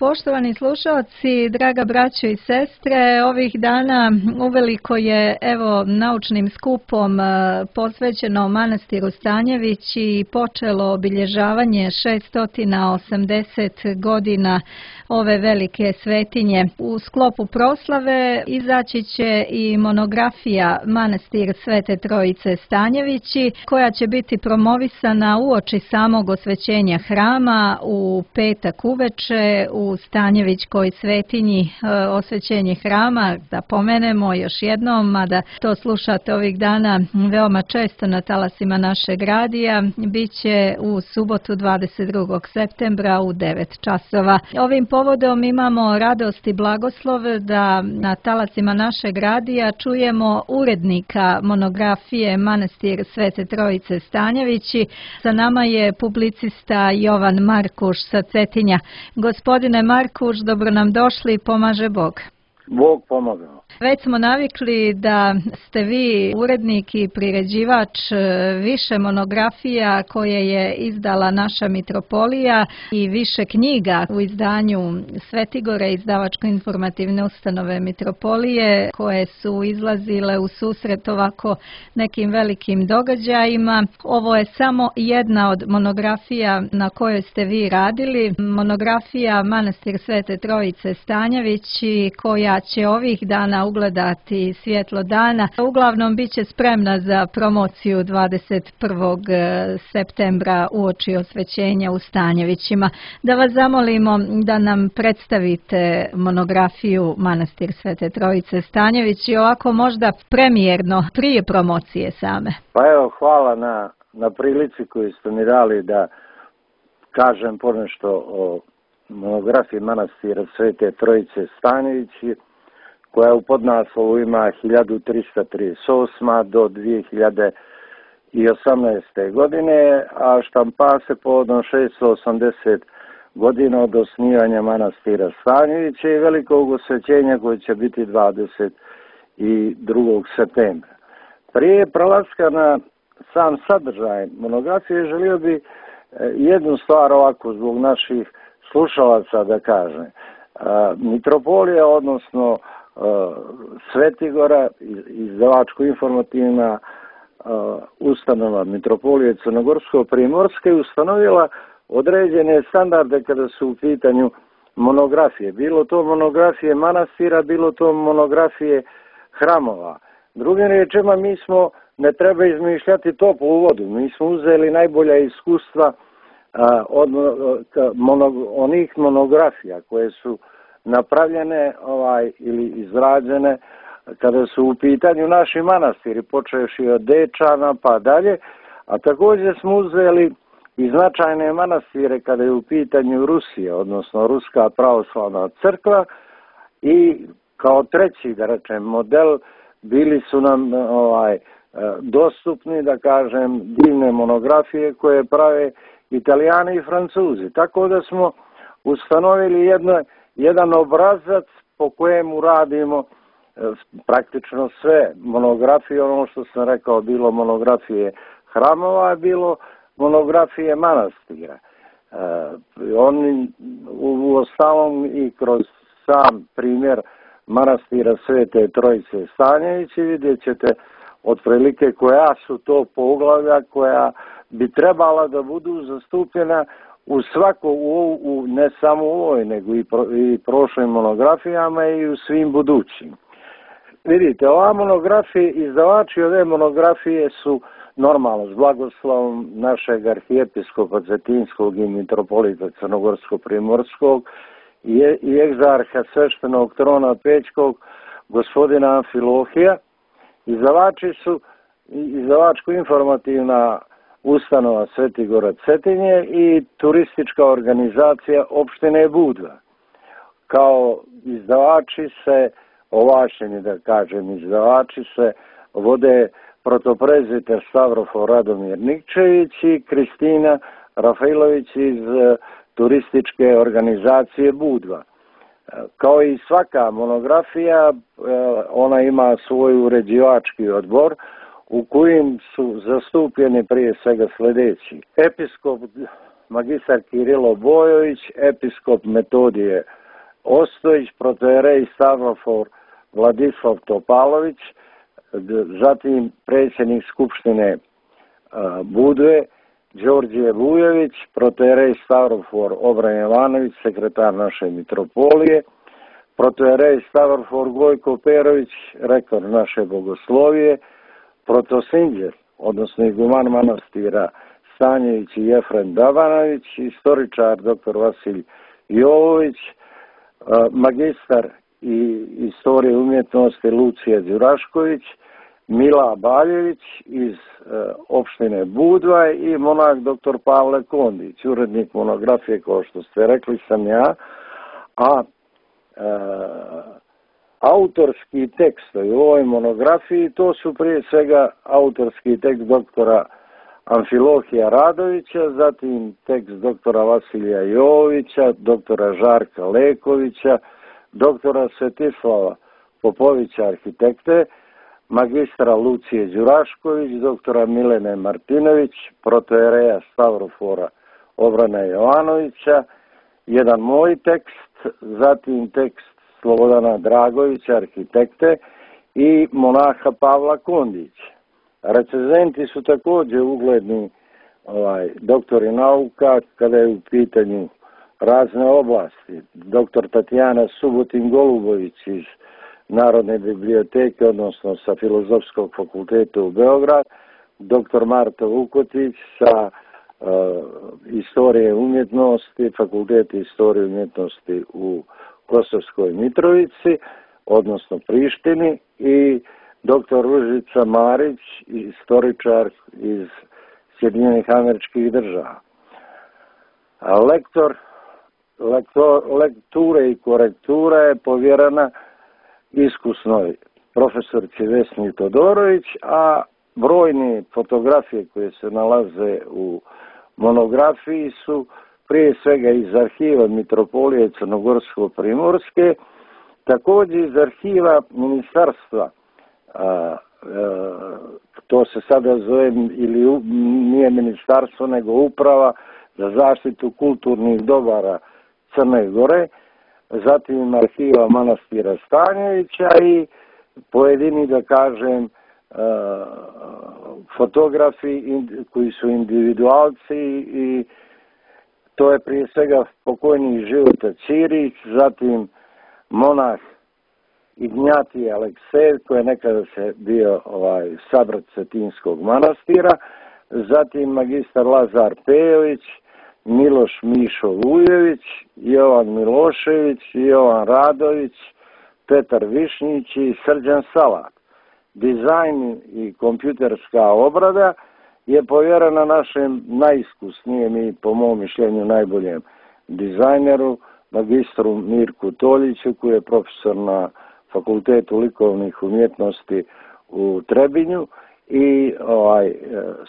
Poštovani slušalci, draga braćo i sestre, ovih dana uveliko je naučnim skupom posvećeno manastiru Stanjević i počelo obilježavanje 680 godina ove velike svetinje. U sklopu proslave izaći će i monografija Manastir Svete Trojice Stanjevići, koja će biti promovisana uoči samog osvećenja hrama u petak uveče u Stanjevićkoj svetinji. Osvećenje hrama, da pomenemo još jednom, mada to slušate ovih dana veoma često na talasima našeg radija, bit će u subotu 22. septembra u 9 časova. Ovim povodom imamo radost i blagoslov da na talasima našeg radija čujemo urednika monografije Manastir Svete Trojice Stanjevići. Sa nama je publicista Jovan Markuš sa Cetinja. Gospodine Markuš, dobro nam došli, pomaže Bog. Bog pomogao. Već smo navikli da ste vi urednik i priređivač više monografija koje je izdala naša mitropolija i više knjiga u izdanju Svetigore, izdavačko-informativne ustanove mitropolije, koje su izlazile u susret ovako nekim velikim događajima. Ovo je samo jedna od monografija na kojoj ste vi radili. Monografija Manastir Svete Trojice Stanjevići, koja će ovih dana ugledati svjetlo dana. Uglavnom bit će spremna za promociju 21. septembra uoči osvećenja u Stanjevićima. Da vas zamolimo da nam predstavite monografiju Manastir Svete Trojice Stanjevići, ovako možda premijerno, prije promocije same. Pa evo, hvala na prilici koju ste mi dali da kažem ponešto o monografiji Manastira Svete Trojice Stanjevići, koja u podnaslovu ima 1338. do 2018. godine, a štampa se povodom 680 godina od osnivanja Manastira Stanjevića i velikog osvećenja koje će biti 22. septembra. Prije prelaska na sam sadržaj monografije želio bi jednu stvar ovako zbog naših slušalaca da kažem. Mitropolija, odnosno Svetigora, izdavačko-informativna ustanova Mitropolije Crnogorsko-primorske, ustanovila određene standarde kada su u pitanju monografije. Bilo to monografije manastira, bilo to monografije hramova. Drugim riječima, mi smo, ne treba izmišljati toplu vodu, mi smo uzeli najbolja iskustva od onih monografija koje su napravljene ili izrađene kada su u pitanju naši manastiri, počevši od Dečana pa dalje, a također smo uzeli i značajne manastire kada je u pitanju Rusija, odnosno Ruska pravoslavna crkva, i kao treći, da rečem, model bili su nam dostupni, da kažem, divne monografije koje prave Italijani i Francuzi. Tako da smo ustanovili jedan obrazac po kojemu radimo praktično sve monografije, ono što sam rekao, bilo monografije hramova, bilo monografije manastira. Oni u ostalom i kroz sam primjer Manastira Svete Trojice Stanjevići vidjet ćete otprilike koja su to poglavlja koja bi trebala da budu zastupljena u svako, ne samo u ovoj, nego i prošlim monografijama i u svim budućim. Vidite, ova monografija, izdavači ove monografije su normalno s blagoslovom našeg arhijepiskopa Cetinskog i mitropolita Crnogorsko-primorskog i egzarha sveštenog trona Pećkog, gospodina Amfilohija. Izdavači su izdavačko-informativna ustanova Svetigora Cetinje i turistička organizacija opštine Budva. Kao izdavači se, ovlašćeni da kažem izdavači se, vode protoprezbiter Stavrofor Radomir Nikčević i Kristina Rafailović iz turističke organizacije Budva. Kao i svaka monografija, ona ima svoj uređivački odbor u kojim su zastupljeni prije svega sljedeći: episkop magistar Kirilo Bojović, episkop Metodije Ostojić, protojerej Stavrofor Vladislav Topalović, zatim predsjednik Skupštine Budve Đorđe Vujović, protojerej Stavrofor Obran Jovanović, sekretar naše mitropolije, protojerej Stavrofor Gojko Perović, rektor naše bogoslovije, protosinđer, odnosno iguman manastira Stanjević i Jefrem Dabanović, istoričar dr. Vasilj Jovović, magistar i istorije umjetnosti Lucija Đurašković, Mila Baljević iz opštine Budva i monah dr. Pavle Kondić, urednik monografije, kao što ste rekli, sam ja, a autorski tekstovi u ovoj monografiji, to su prije svega autorski tekst doktora Amfilohija Radovića, zatim tekst doktora Vasilija Jovovića, doktora Žarka Lekovića, doktora Svetislava Popovića, arhitekte, magistra Lucije Đurašković, doktora Milene Martinović, protojereja Stavrofora Obrana Jovanovića, jedan moj tekst, zatim tekst Slobodana Dragovića, arhitekte, i monaha Pavla Kondića. Recenzenti su također ugledni doktori nauka kada je u pitanju razne oblasti. Doktor Tatjana Subotin-Golubović iz Narodne biblioteke, odnosno sa Filozofskog fakulteta u Beograd, doktor Marta Vukotić sa istorije umjetnosti, Fakulteta istorije umjetnosti u Kosovskoj Mitrovici, odnosno Prištini, i doktor Ružica Marić, istoričar iz Sjedinjenih Američkih Država. Lekture i korektura je povjerena iskusnoj profesorci Vesni Todorović, a brojne fotografije koje se nalaze u monografiji su prije svega iz arhiva Mitropolije Crnogorsko-Primorske, također iz arhiva ministarstva, to se sada zove, ili nije ministarstvo nego uprava za zaštitu kulturnih dobara Crne Gore, zatim arhiva manastira Stanjevića i pojedini, da kažem, fotografi koji su individualci, i to je prije svega pokojni Života Ćirić, zatim monah Ignjatije Aleksejev, koji je nekada se bio sabrat Cetinskog manastira, zatim magistar Lazar Pejović, Miloš Mišo Vujović, Jovan Milošević, Jovan Radović, Petar Višnjić i Srđan Salak. Dizajn i kompjuterska obrada je povjerena našem najiskusnijem i, po mom mišljenju, najboljem dizajneru, magistru Mirku Toljiću, koji je profesor na Fakultetu likovnih umjetnosti u Trebinju, i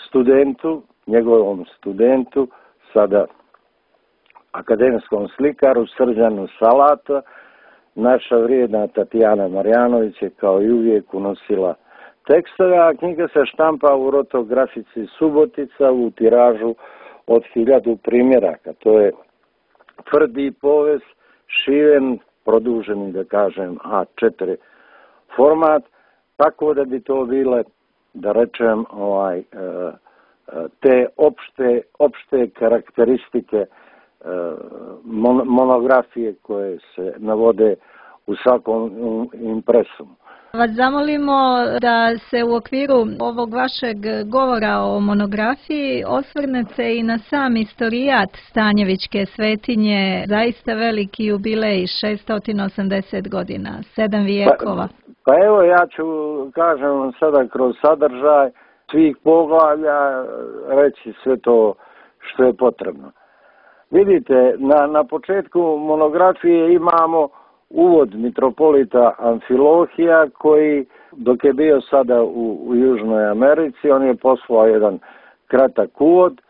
studentu, njegovom studentu, sada akademskom slikaru Srđanu Salata. Naša vrijedna Tatjana Marjanović je kao i uvijek unosila tekstove, a knjiga se štampa u rotografici Subotica u tiražu od 1000 primjeraka. To je tvrdi povez, šiven, produženi, da kažem, A4 format, tako da bi to bile, da rečem, te opšte karakteristike monografije koje se navode u svakom impresu. Vas zamolimo da se u okviru ovog vašeg govora o monografiji osvrnete i na sam istorijat Stanjevićke svetinje, zaista veliki jubilej, 680 godina, 7 vijekova. Pa evo, ja ću, kažem sada, kroz sadržaj svih poglavlja reći sve to što je potrebno. Vidite, na početku monografije imamo uvod mitropolita Amfilohija, koji, dok je bio sada u Južnoj Americi, on je poslao jedan kratak uvod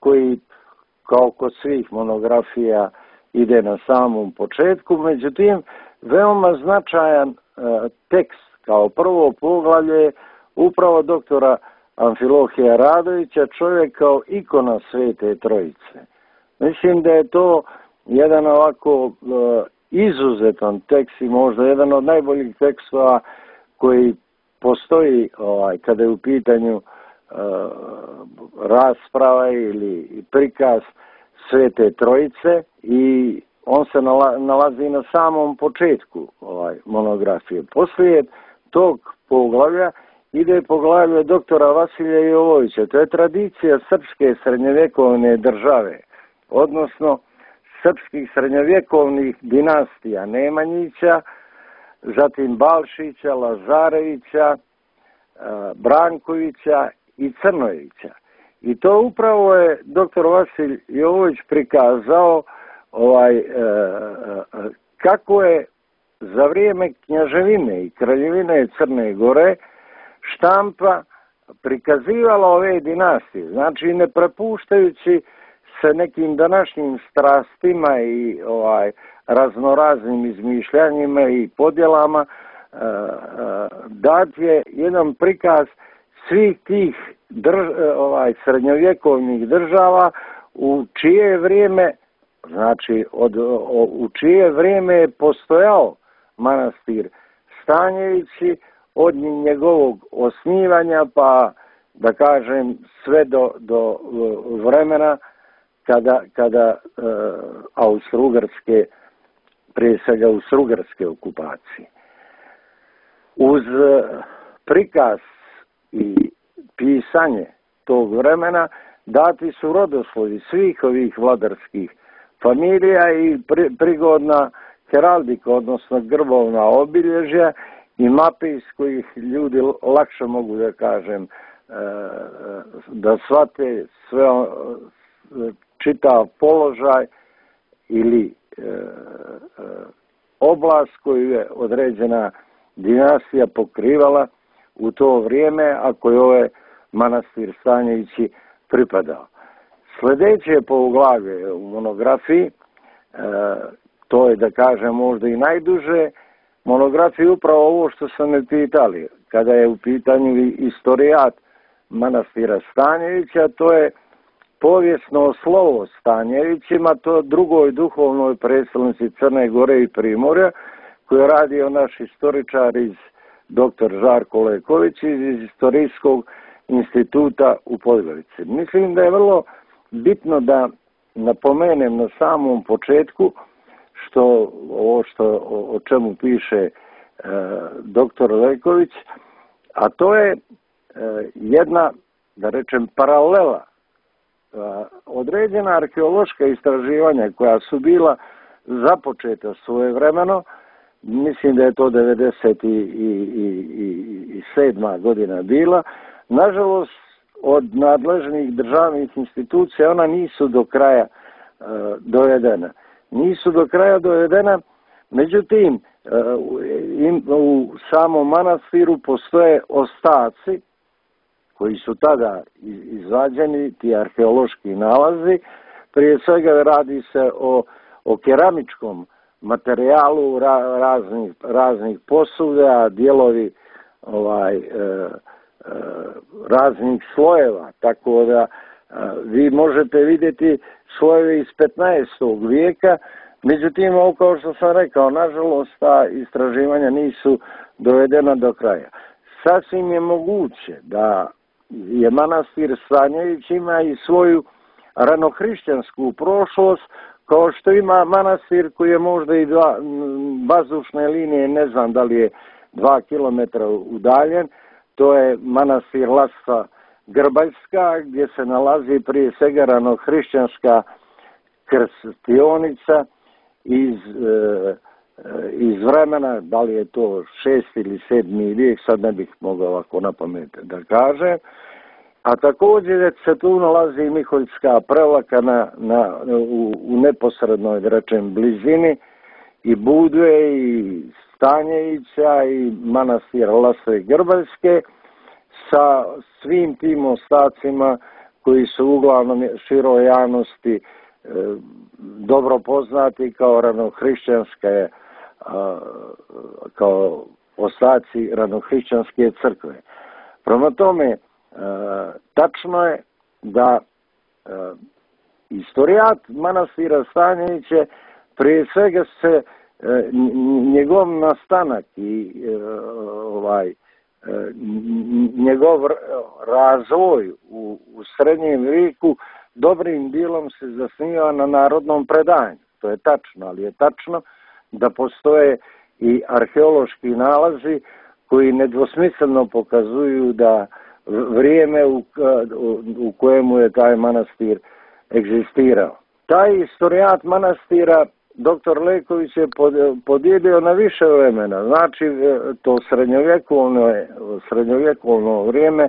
koji, kao kod svih monografija, ide na samom početku. Međutim, veoma značajan tekst kao prvo poglavlje upravo doktora Amfilohija Radovića, čovjek kao ikona Svete Trojice. Mislim da je to jedan ovako izuzetan tekst i možda jedan od najboljih tekstova koji postoji kada je u pitanju rasprava ili prikaz Svete Trojice i on se nalazi na samom početku monografije. Poslije tog poglavlja ide poglavlje doktora Vasilija Jovovića. To je tradicija srpske srednjovjekovne države, odnosno srpskih srednjovjekovnih dinastija Nemanjića, zatim Balšića, Lazarevića, Brankovića i Crnojevića. I to upravo je doktor Vasilij Jovović prikazao kako je za vrijeme knjaževine i kraljevine Crne Gore štampa prikazivala ove dinastije. Znači ne prepuštajući se nekim današnjim strastima i raznoraznim izmišljanjima i podjelama, dat je jedan prikaz svih tih srednjovjekovnih država u čije vrijeme, znači u čije vrijeme je postojao manastir Stanjevići od njegovog osnivanja pa da kažem sve do vremena kada Austro-Ugarske, prije svega Austro-Ugarske okupacije. Uz prikaz i pisanje tog vremena dati su rodoslovi svih ovih vladarskih familija i prigodna heraldika, odnosno grbovna obilježja i mape iz kojih ljudi lakše mogu da kažem da shvate sve čitav položaj ili oblast koju je određena dinastija pokrivala u to vrijeme, a koje ovaj manastir Stanjevići pripadao. Sljedeće poglavlje u monografiji, to je da kažem možda i najduže, monografije upravo ovo što sam me pitali, kada je u pitanju istorijat manastira Stanjevića, to je povijesno slovo Stanjevićima, to drugoj duhovnoj predstavnici Crne Gore i Primorja, koju radio naš istoričar dr. Žarko Leković iz Istorijskog instituta u Podgorici. Mislim da je vrlo bitno da napomenem na samom početku o čemu piše dr. Leković, a to je jedna, da rečem, paralela. Određena arheološka istraživanja koja su bila započeta svojevremeno, mislim da je to 1997. godina bila, nažalost od nadležnih državnih institucija ona nisu do kraja dovedena. Međutim, u samom manastiru postoje ostaci koji su tada izvađeni, ti arheološki nalazi. Prije svega radi se o keramičkom materijalu raznih posuda, dijelovi raznih slojeva, tako da vi možete vidjeti slojeve iz 15. vijeka, međutim, ovo kao što sam rekao, nažalost, ta istraživanja nisu dovedena do kraja. Sasvim je moguće da je manastir Stanjević ima i svoju ranohrišćansku prošlost, kao što ima manastir koji je možda i vazdušne linije, ne znam da li je 2 kilometra udaljen, to je manastir Lasta Grbaljska, gdje se nalazi prije svega ranohrišćanska krstionica iz vremena, da li je to 6. ili 7. vijek, sad ne bih mogao ovako na pamet da kažem. A također se tu nalazi Miholjska prevlaka u neposrednoj, da rečem, blizini i Budve i Stanjevića i manastira Lase Grbaljske sa svim tim ostacima koji su uglavnom široj javnosti dobro poznati kao ranohrišćanske, kao ostaci ranohrišćanske crkve. Prema tome, tačno je da istorijat manastira Stanjeviće prije svega se njegov nastanak i njegov razvoj u srednjem vijeku dobrim dijelom se zasniva na narodnom predanju. To je tačno, ali je tačno da postoje i arheološki nalazi koji nedvosmisleno pokazuju da vrijeme u kojemu je taj manastir egzistirao. Taj istorijat manastira dr. Leković je podijelio na više vremena, znači to srednjovjekovno vrijeme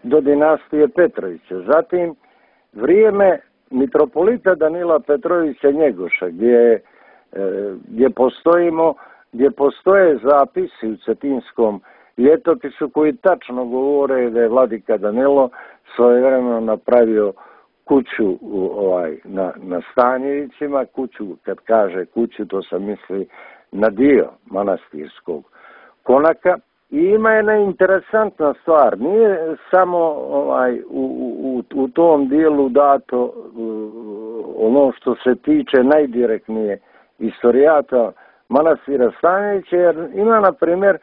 do dinastije Petrovića. Zatim vrijeme mitropolita Danila Petrovića Njegoša, gdje postoje zapisi u Cetinskom ljetopisu koji tačno govore da je vladika Danilo svojevremeno napravio kuću na Stanjevićima, kuću, kad kaže kuću, to se misli na dio manastirskog konaka. I ima jedna interesantna stvar, nije samo u tom dijelu dato ono što se tiče najdirektnije istorijata manastira Stanjevića, jer ima, na primjer,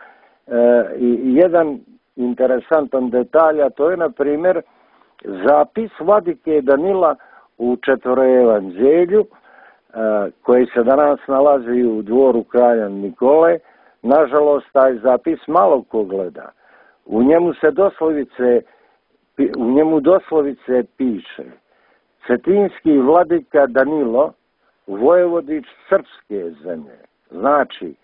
jedan interesantan detalj, a to je, na primjer, zapis vladike Danila u Četvoroevanđelju, koji se danas nalazi u dvoru kralja Nikole. Nažalost, taj zapis malo ko gleda. U njemu doslovice piše: Cetinski vladika Danilo, vojevodič srpske zemlje. Znači,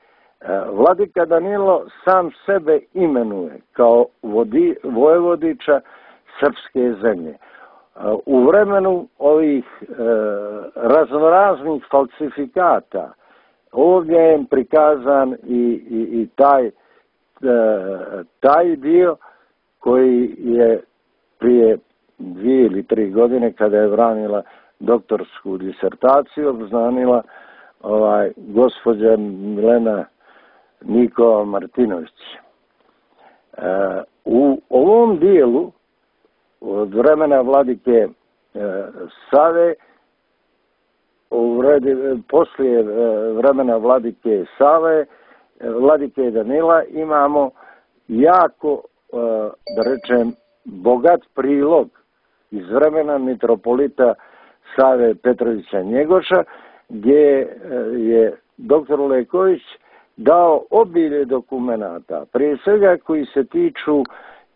vladika Danilo sam sebe imenuje kao vojevodiča srpske zemlje. U vremenu ovih raznoraznih falsifikata ovdje je prikazan i taj dio koji je prije 2 ili 3 godine, kada je branila doktorsku disertaciju, obznanila gospođa Milena Nikova Martinović. U ovom dijelu od vremena vladike Save, poslije vremena vladike Save, vladike Danila, imamo jako, da rečem, bogat prilog iz vremena mitropolita Save Petrovića Njegoša, gdje je dr. Leković dao obilje dokumenata, prije svega koji se tiču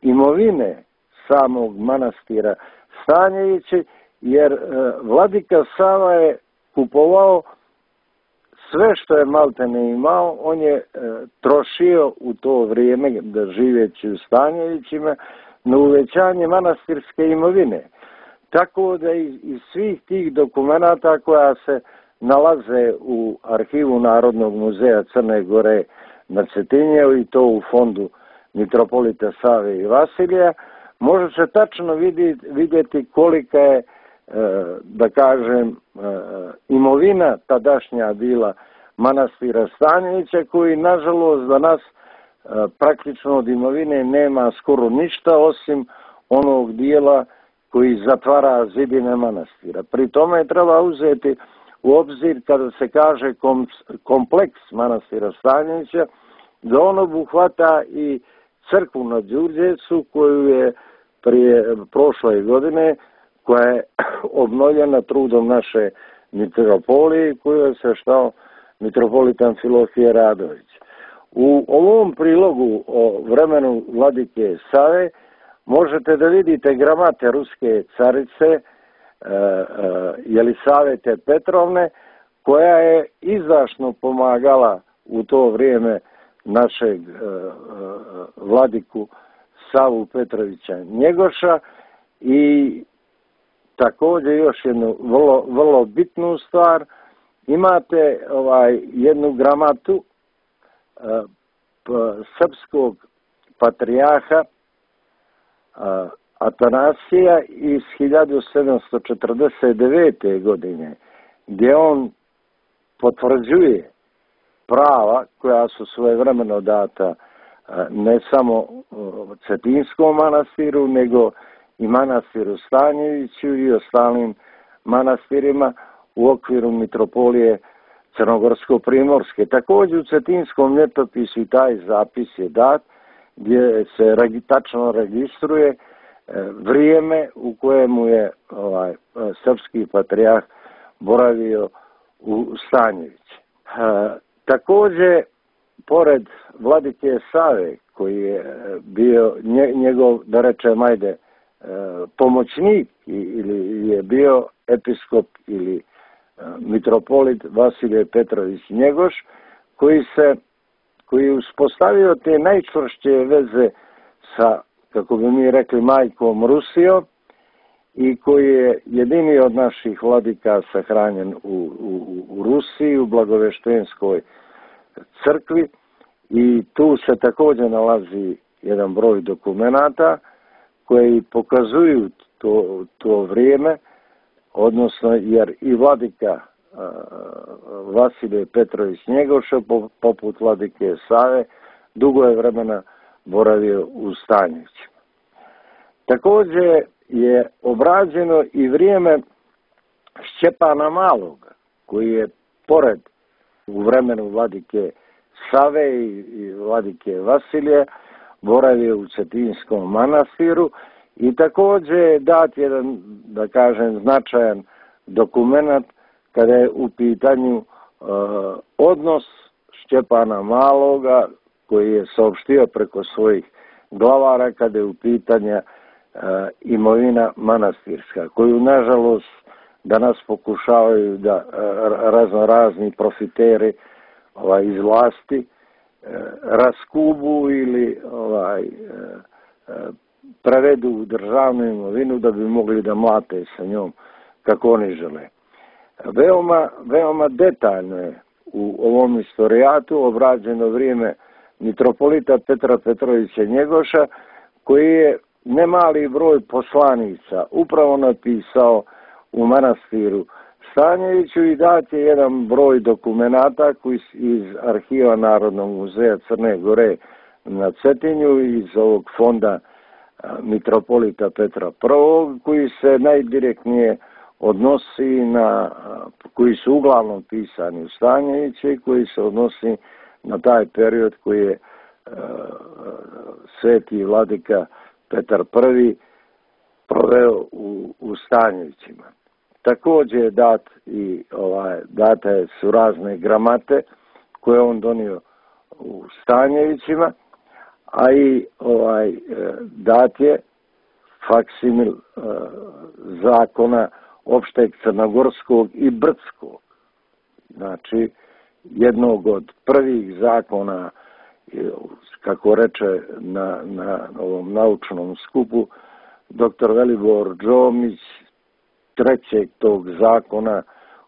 imovine samog manastira Stanjevići, jer vladika Sava je kupovao sve što je maltene imao, on je trošio u to vrijeme, da živeći u Stanjevićima, na uvećanje manastirske imovine. Tako da iz svih tih dokumenata koja se nalaze u arhivu Narodnog muzeja Crne Gore na Cetinjevu, i to u fondu mitropolita Save i Vasilija, može se tačno vidjeti kolika je, da kažem, imovina tadašnja bila manastira Stanjevića, koji nažalost danas praktično od imovine nema skoro ništa, osim onog dijela koji zatvara zidine manastira. Pri tome treba uzeti u obzir, kada se kaže kompleks manastira Stanjevića, da on obuhvata i crkvu na Đurđevcu, koju je prošle godine, koja je obnovljena trudom naše mitropolije, koju je sveštao mitropolitan Filofije Radović. U ovom prilogu o vremenu vladike Save možete da vidite gramate ruske carice Jelisavete Petrovne, koja je izdašno pomagala u to vrijeme našeg vladiku Savu Petrovića Njegoša. I također još jednu vrlo bitnu stvar, imate jednu gramatu srpskog patrijarha Atanasija iz 1749. godine, gdje on potvrđuje prava koja su svojevremeno data ne samo Cetinskom manastiru, nego i manastiru Stanjeviću i ostalim manastirima u okviru mitropolije Crnogorsko-primorske. Također u Cetinskom ljetopisu i taj zapis je dat gdje se tačno registruje vrijeme u kojemu je srpski patrijarh boravio u Stanjevići. Također, pored vladike Save, koji je bio njegov, da rečem, pomoćnik ili je bio episkop ili mitropolit Vasilije Petrović Njegoš, koji je uspostavio te najčvršće veze sa, kako bi mi rekli, majkom Rusijom i koji je jedini od naših vladika sahranjen u Rusiji, u Blagoveštenskoj crkvi, i tu se također nalazi jedan broj dokumenata koji pokazuju to vrijeme, odnosno jer i vladika Vasilije Petrović Njegoša, poput vladike Save, dugo je vremena boravio u Stanjevićima. Također je obrađeno i vrijeme Šćepana Maloga, koji je pored u vremenu vladike Save i vladike Vasilije boravio u Cetinskom manastiru i također je dat jedan, da kažem, značajan dokumenat kada je u pitanju odnos Šćepana Maloga, koji je saopštio preko svojih glavara kada je u pitanju imovina manastirska, koju nažalost danas pokušavaju da razni profiteri iz vlasti raskubu ili prevedu u državnu imovinu da bi mogli da mlate sa njom kako oni žele. Veoma detaljno je u ovom istorijatu obrađeno vrijeme mitropolita Petra Petrovića Njegoša, koji je nemali broj poslanica upravo napisao u manastiru Stanjeviću i dat je jedan broj dokumenata koji iz arhiva Narodnog muzeja Crne Gore na Cetinju, iz ovog fonda mitropolita Petra I, koji se najdirektnije odnosi koji su uglavnom pisani u Stanjeviće i koji se odnosi na taj period koji je sveti vladika Petar I proveo u Stanjevićima. Također je date su razne gramate koje on donio u Stanjevićima, a i dat je faksimil zakona opšteg crnogorskog i brdskog. Znači, jednog od prvih zakona, kako reče na ovom naučnom skupu dr. Velibor Đomić, trećeg tog zakona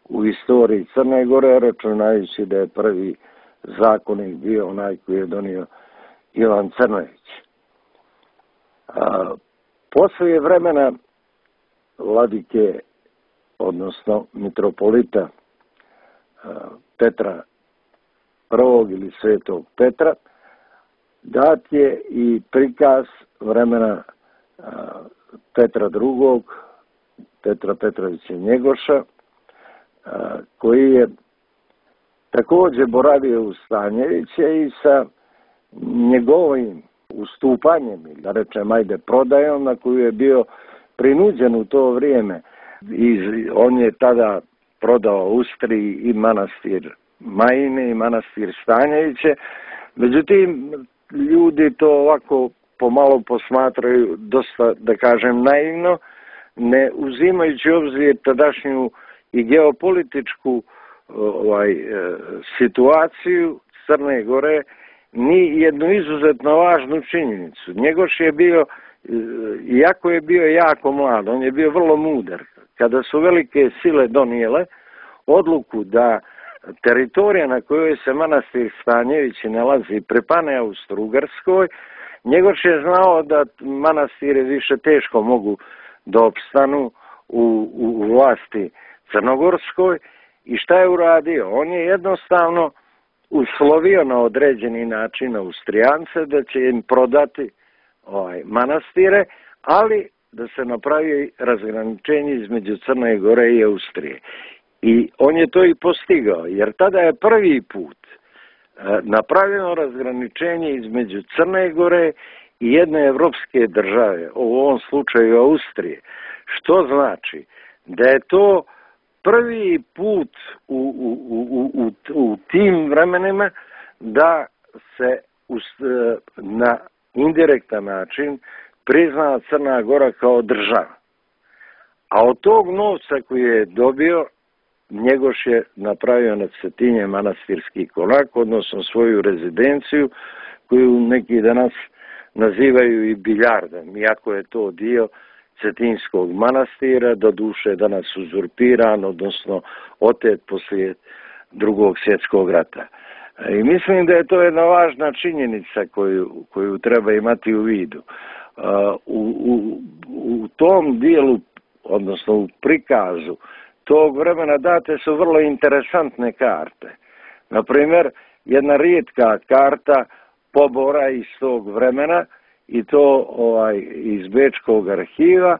u istoriji Crne Gore, računajući da je prvi zakonik bio onaj koji je donio Ivan Crnojević. Poslije vremena vladike, odnosno mitropolita Petra I ili Svetog Petra, dat je i prikaz vremena Petra II, Petra Petrovića Njegoša, koji je također boravio u Stanjeviće i sa njegovim ustupanjem, da rečem, prodajom na koju je bio prinuđen u to vrijeme. I on je tada prodao Ustriji i manastir Majine i manastir Stanjeviće. Međutim, ljudi to ovako pomalo posmatraju dosta, da kažem, naivno, ne uzimajući obzir tadašnju i geopolitičku situaciju Crne Gore, ni jednu izuzetno važnu činjenicu. Njegoš je bio, iako je bio jako mlad, on je bio vrlo mudar. Kada su velike sile donijele odluku da teritorija na kojoj se manastir Stanjevići nalazi pripane Austro-Ugarskoj, Njegoš je znao da manastire više teško mogu da opstanu u vlasti crnogorskoj i šta je uradio? On je jednostavno uslovio na određeni način Austrijance da će im prodati manastire, ali da se napravi razgraničenje između Crne Gore i Austrije. I on je to i postigao, jer tada je prvi put napravljeno razgraničenje između Crne Gore i jedne evropske države, u ovom slučaju Austrije, što znači da je to prvi put u tim vremenima da se na indirektan način prizna Crna Gora kao država. A od tog novca koji je dobio, Njegoš je napravio na Cetinje manastirski konak, odnosno svoju rezidenciju, koju neki danas nazivaju i biljardom, iako je to dio Cetinskog manastira, doduše danas uzurpiran, odnosno otet poslije Drugog svjetskog rata. I mislim da je to jedna važna činjenica koju treba imati u vidu. U tom dijelu, odnosno u prikazu tog vremena date su vrlo interesantne karte. Naprimjer, jedna rijetka karta pobora iz tog vremena, i to iz Bečkog arhiva,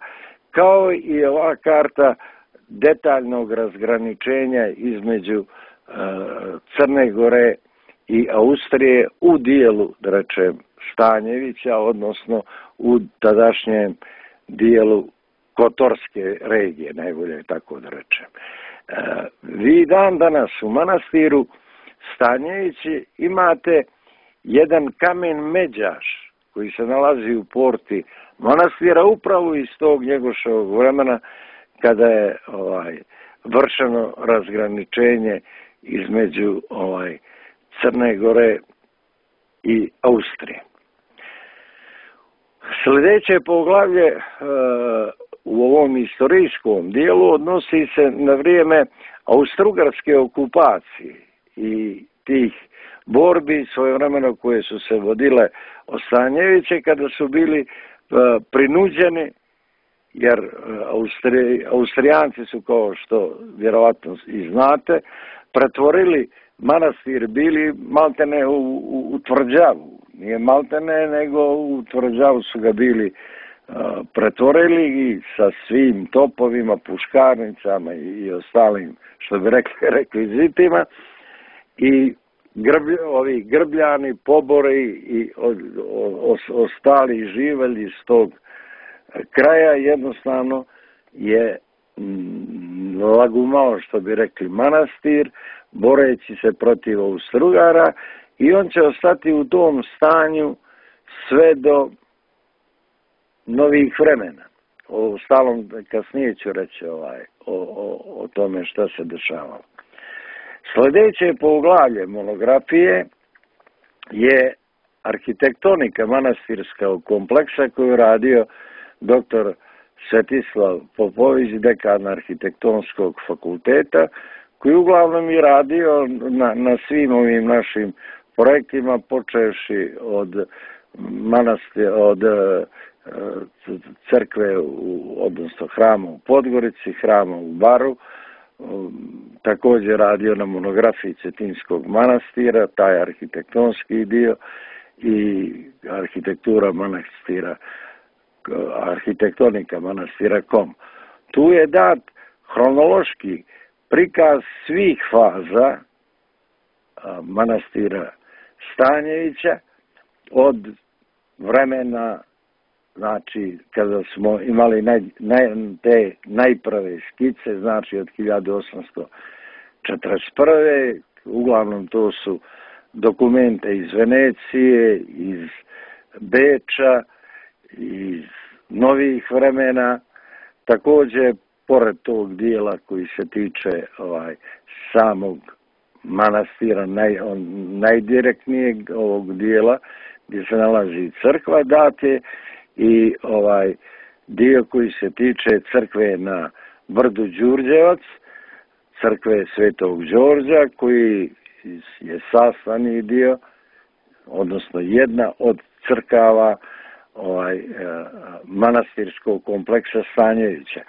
kao i ova karta detaljnog razgraničenja između Crne Gore i Austrije u dijelu, da rečem, Stanjevića, odnosno u tadašnjem dijelu Kotorske regije, najbolje tako da rečem. Vi dan danas u manastiru Stanjevići imate jedan kamen međaš koji se nalazi u porti manastira upravo iz tog Njegoševog vremena, kada je vršeno razgraničenje između Crne Gore i Austrije. Sljedeće poglavlje u ovom istorijskom dijelu odnosi se na vrijeme austrougarske okupacije i tih borbi svojevremeno koje su se vodile od Stanjevića, kada su bili prinuđeni, jer Austrijanci su, kao što vjerovatno i znate, pretvorili manastir, bili maltene u tvrđavu. Nije maltene, nego u tvrđavu su ga bili pretvorili i sa svim topovima, puškarnicama i ostalim, što bi rekli, rekvizitima. I ovi grbljani, pobori i ostali živelji iz tog kraja jednostavno je lagumao, što bi rekli, manastir, boreći se protiv Austrougar-a, i on će ostati u tom stanju sve do novih vremena. O stalom kasnije ću reći o tome što se dešavalo. Sljedeće poglavlje monografije je arhitektonika manastirskog kompleksa koju je radio dr. Svetislav Popović, dekan arhitektonskog fakulteta, koji uglavnom je radio na svim ovim našim projektima, počevši od crkve, odnosno hrama u Podgorici, hrama u Baru, također radio na monografiji Cetinskog manastira, taj arhitektonski dio, i arhitektura manastira, arhitektonika manastira kom. Tu je dat hronološki prikaz svih faza manastira Stanjevića od vremena, znači kada smo imali te najprve skice, znači od 1841. Uglavnom to su dokumente iz Venecije, iz Beča, iz novih vremena. Također, pored tog dijela koji se tiče samog manastira, najdirektnijeg ovog dijela gdje se nalazi crkva, date i dio koji se tiče crkve na brdu Đurđevac, crkve Svetog Đorđa, koji je sastavni dio, odnosno jedna od crkava manastirskog kompleksa Stanjevića.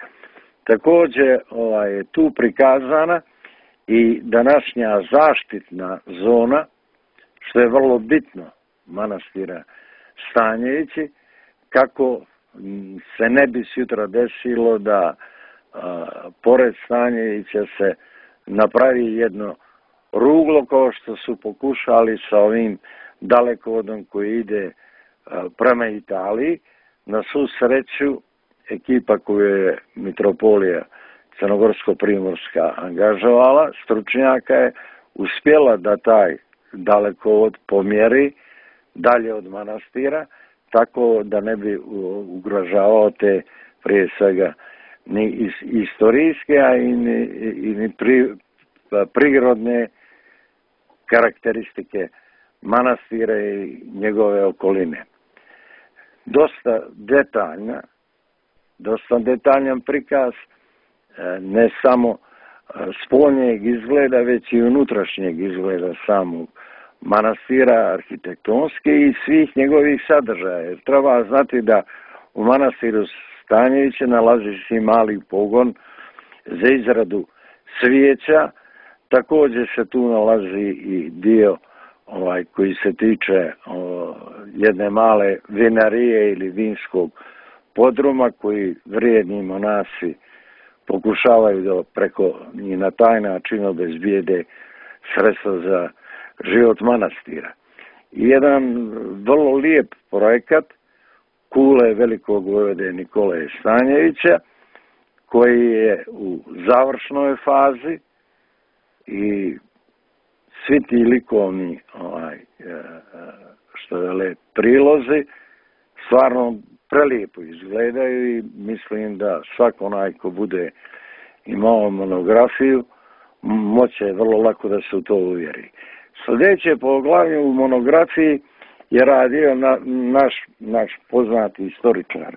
Također je tu prikazana i današnja zaštitna zona, što je vrlo bitno manastira Stanjevići, kako se ne bi sutra desilo da pored Stanjevića se napravi jedno ruglo kao što su pokušali sa ovim dalekovodom koji ide prema Italiji. Na svu sreću ekipa koju je Mitropolija Crnogorsko-Primorska angažovala, stručnjaka je uspjela da taj dalekovod pomjeri dalje od manastira, tako da ne bi ugrožavao te prije svega ni istorijske, a i ni prirodne karakteristike manastira i njegove okoline. Dosta detaljan prikaz, ne samo spoljnjeg izgleda, već i unutrašnjeg izgleda samog manastira, arhitektonski i svih njegovih sadržaja. Jer treba znati da u manastiru Stanjevića nalazi se mali pogon za izradu svijeća. Također se tu nalazi i dio koji se tiče jedne male vinarije ili vinskog podruma koji vrijedni monasi pokušavaju da preko i na taj način obezbijede sredstva za život manastira. I jedan vrlo lijep projekat kule velikog vojvode Nikole Stanjevića koji je u završnoj fazi i svi ti likovni što vele prilozi stvarno prelijepo izgledaju i mislim da svako onaj ko bude imao monografiju moće vrlo lako da se u to uvjeri. Sljedeće poglavlje u monografiji je radio naš poznati istoričar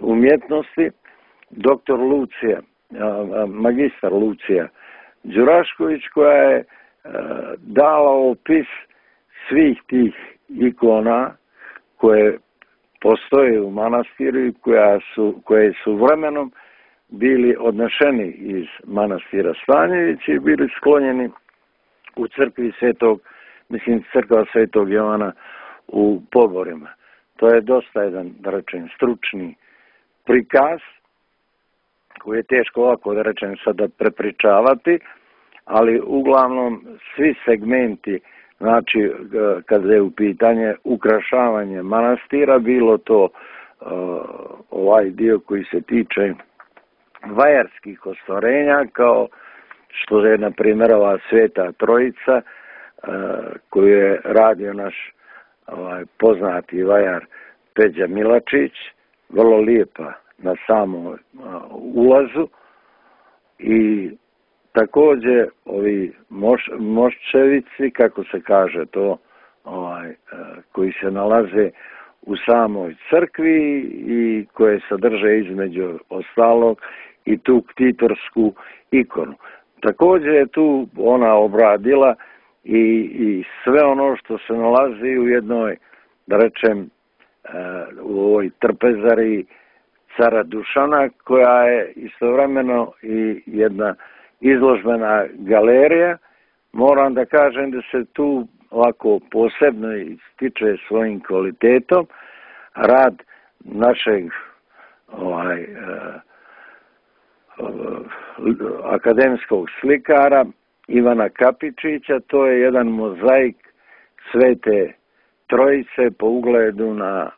umjetnosti, magistar Lucija Đurašković, koja je dala opis svih tih ikona koje postoje u manastiru i koje su vremenom bili odnešeni iz manastira Stanjevića i bili sklonjeni u crkva Svetog Jovana u Poborima. To je dosta jedan, da rečem, stručni prikaz koji je teško ovako, da rečem, sada prepričavati, ali uglavnom svi segmenti, znači kada je u pitanje ukrašavanje manastira, bilo to ovaj dio koji se tiče vajarskih ostvarenja, kao što je, na primjer, ova Sveta Trojica, koju je radio naš poznati vajar Peđa Milačić, vrlo lijepa na samom ulazu, i također ovi moščevici, kako se kaže to, koji se nalaze u samoj crkvi i koje sadrže između ostalog i tu ktitorsku ikonu. Također je tu ona obradila i sve ono što se nalazi u jednoj, da rečem, u ovoj trpezari cara Dušana, koja je istovremeno i jedna izložbena galerija. Moram da kažem da se tu ovako posebno ističe svojim kvalitetom rad našeg akademskog slikara Ivana Kapičića. To je jedan mozaik Svete Trojice po ugledu na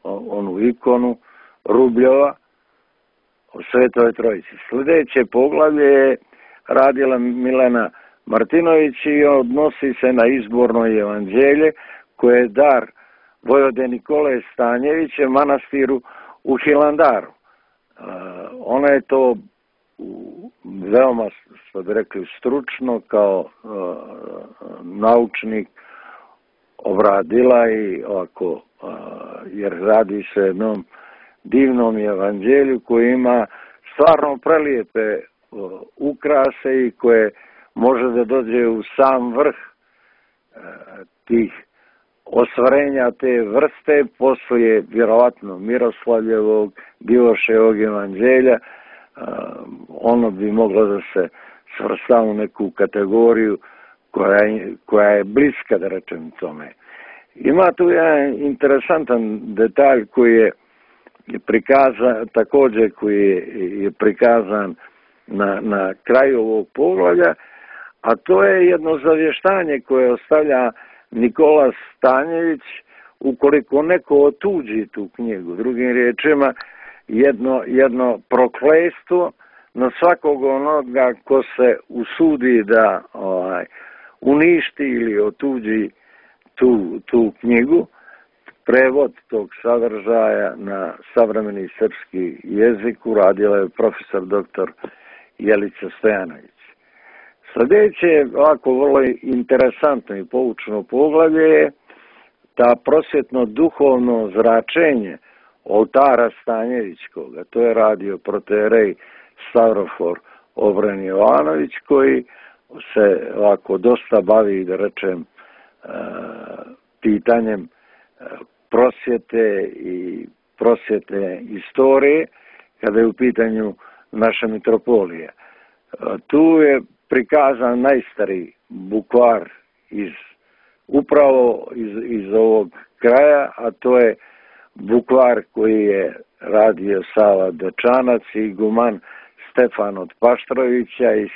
onu ikonu Rubljova o Svetoj Trojici. Sljedeće poglavlje je radila Milena Martinović i odnosi se na izborno evanđelje koje je dar vojvode Nikole Stanjevića manastiru u Hilandaru. Ona je to veoma, što bi rekli, stručno kao naučnik obradila i ovako, jer radi se jednom divnom evanđelju koji ima stvarno prelijepe ukrase i koje može da dođe u sam vrh tih ostvarenja te vrste poslije vjerovatno Miroslavljevog, Divoševog evanđelja. Ono bi moglo da se svrsta u neku kategoriju koja je bliska, da rečem, tome. Ima tu jedan interesantan detalj koji je prikazan, također koji je prikazan na kraju ovog poglavlja, a to je jedno zavještanje koje ostavlja Nikola Stanjević ukoliko neko otuđi tu knjigu. Drugim riječima, jedno prokletstvo na svakog onoga ko se usudi da uništi ili otuđi tu knjigu. Prevod tog sadržaja na savremeni srpski jezik uradila je profesor dr. Jelica Stojanović. Sljedeće, ovako vrlo interesantno i poučno poglavlje je ta prosvjetno-duhovno zračenje oltara Stanjevićkog, a to je radio proterej Stavrofor Obren Jovanović, koji se ovako dosta bavi, da rečem, pitanjem prosvjete i prosvjetne istorije kada je u pitanju naša mitropolija. Tu je prikazan najstariji bukvar upravo iz ovog kraja, a to je bukvar koji je radio Sava Dečanac i iguman Stefan od Paštrovića iz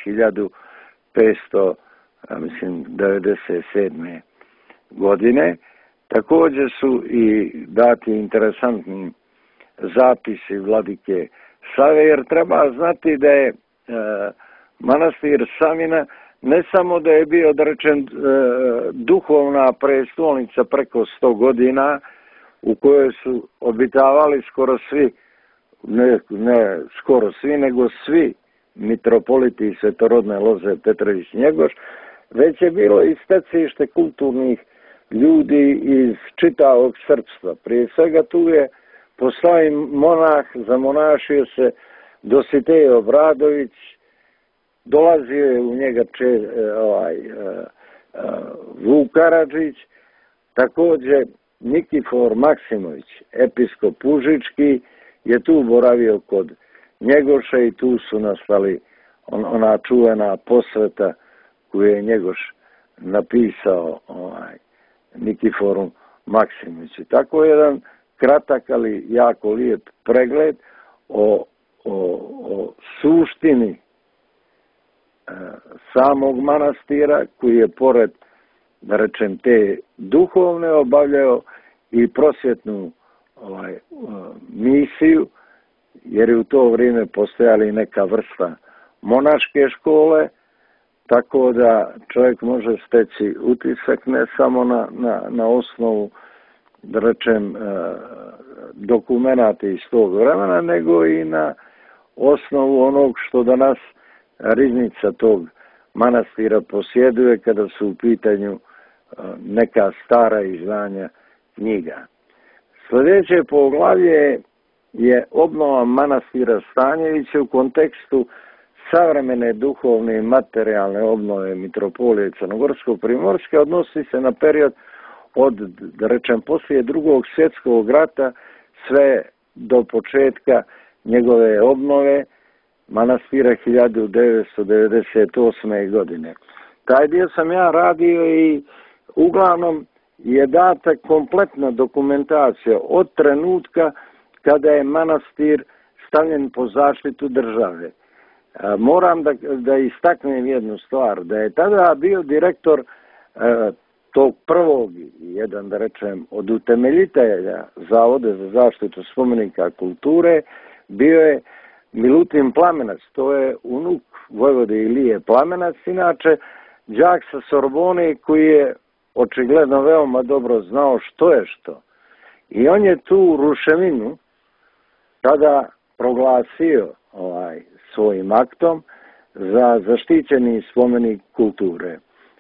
1597. godine. Također su i dati interesantni zapisi vladike Save, jer treba znati da je manastir Savina ne samo da je bio, da rečem, duhovna prestolnica preko 100 godina u kojoj su obitavali skoro svi, ne skoro svi, nego svi mitropoliti Svetorodne Loze Petrović Njegoš, već je bilo i stecište kulturnih ljudi iz čitavog srpstva. Prije svega tu je postao monah, zamonašio se Dositej Obradović, dolazio je u njega Vuk Karadžić, također Nikifor Maksimović, episkop Užički, je tu boravio kod Njegoša i tu su nastali ona čuvena posveta koju je Njegoš napisao Nikiforu Maksimoviću. Tako je jedan kratak, ali jako lijep pregled o suštini samog manastira, koji je pored, da rečem, te duhovne obavljao i prosvjetnu misiju, jer je u to vrijeme postojala i neka vrsta monaške škole, tako da čovjek može steći utisak ne samo na osnovu, da rečem, dokumenata iz tog vremena, nego i na osnovu onog što danas riznica tog manastira posjeduje kada su u pitanju neka stara izdanja knjiga. Sljedeće poglavlje je obnova manastira Stanjevića u kontekstu savremene duhovne i materijalne obnove mitropolije Crnogorsko-primorske. Odnosi se na period od, da rečem, poslije Drugog svjetskog rata sve do početka njegove obnove manastira 1998. godine. Taj dio sam ja radio i uglavnom je data kompletna dokumentacija od trenutka kada je manastir stavljen po zaštitu države. Moram da istaknem jednu stvar, da je tada bio direktor tog prvog, jedan, da rečem, od utemeljitelja Zavoda za zaštitu spomenika kulture, bio je Milutin Plamenac, to je unuk vojvode Ilije Plamenac, inače đak sa Sorbone koji je očigledno veoma dobro znao što je što. I on je tu ruševinu tada proglasio svojim aktom za zaštićeni spomenik kulture.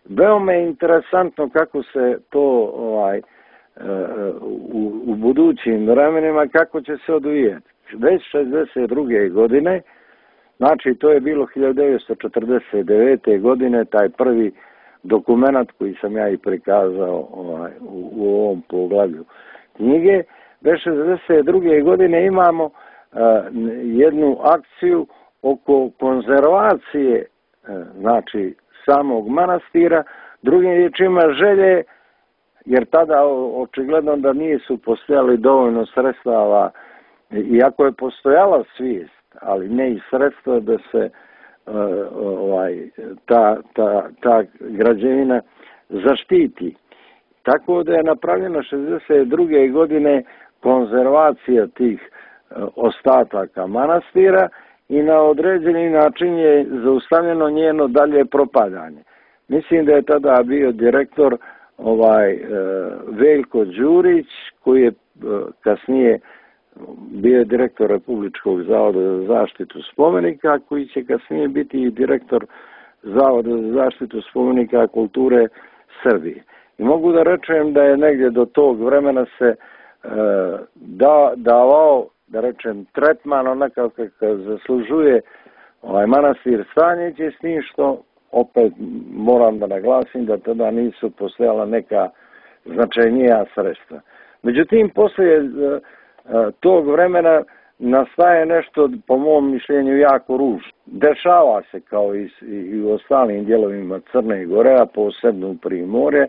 Veoma je interesantno kako se to u budućim vremenima, kako će se odvijeti. Već 62. godine, znači to je bilo 1949. godine, taj prvi dokumenat koji sam ja i prikazao u ovom poglavlju knjige. Već 62. godine imamo jednu akciju oko konzervacije, znači samog manastira, drugim riječima želje jer tada očigledno da nisu postojali dovoljno sredstava, iako je postojala svijest, ali ne i sredstva da se ta građevina zaštiti. Tako da je napravljeno 62. godine konzervacija tih ostataka manastira i na određeni način je zaustavljeno njeno dalje propadanje. Mislim da je tada bio direktor Veljko Đurić, koji je kasnije bio direktor Republičkog zavoda za zaštitu spomenika, koji će kasnije biti i direktor Zavoda za zaštitu spomenika kulture Srbije. I mogu da rečem da je negdje do tog vremena se davao, da rečem, tretman onakav kakav zaslužuje manastir Stanjeviće, s tim što opet moram da naglasim da tada nisu postojala neka značajnija sredstva. Međutim, poslije tog vremena nastaje nešto, po mom mišljenju, jako ružno. Dešava se kao i u ostalim dijelovima Crne Gore, a posebno u Primorje,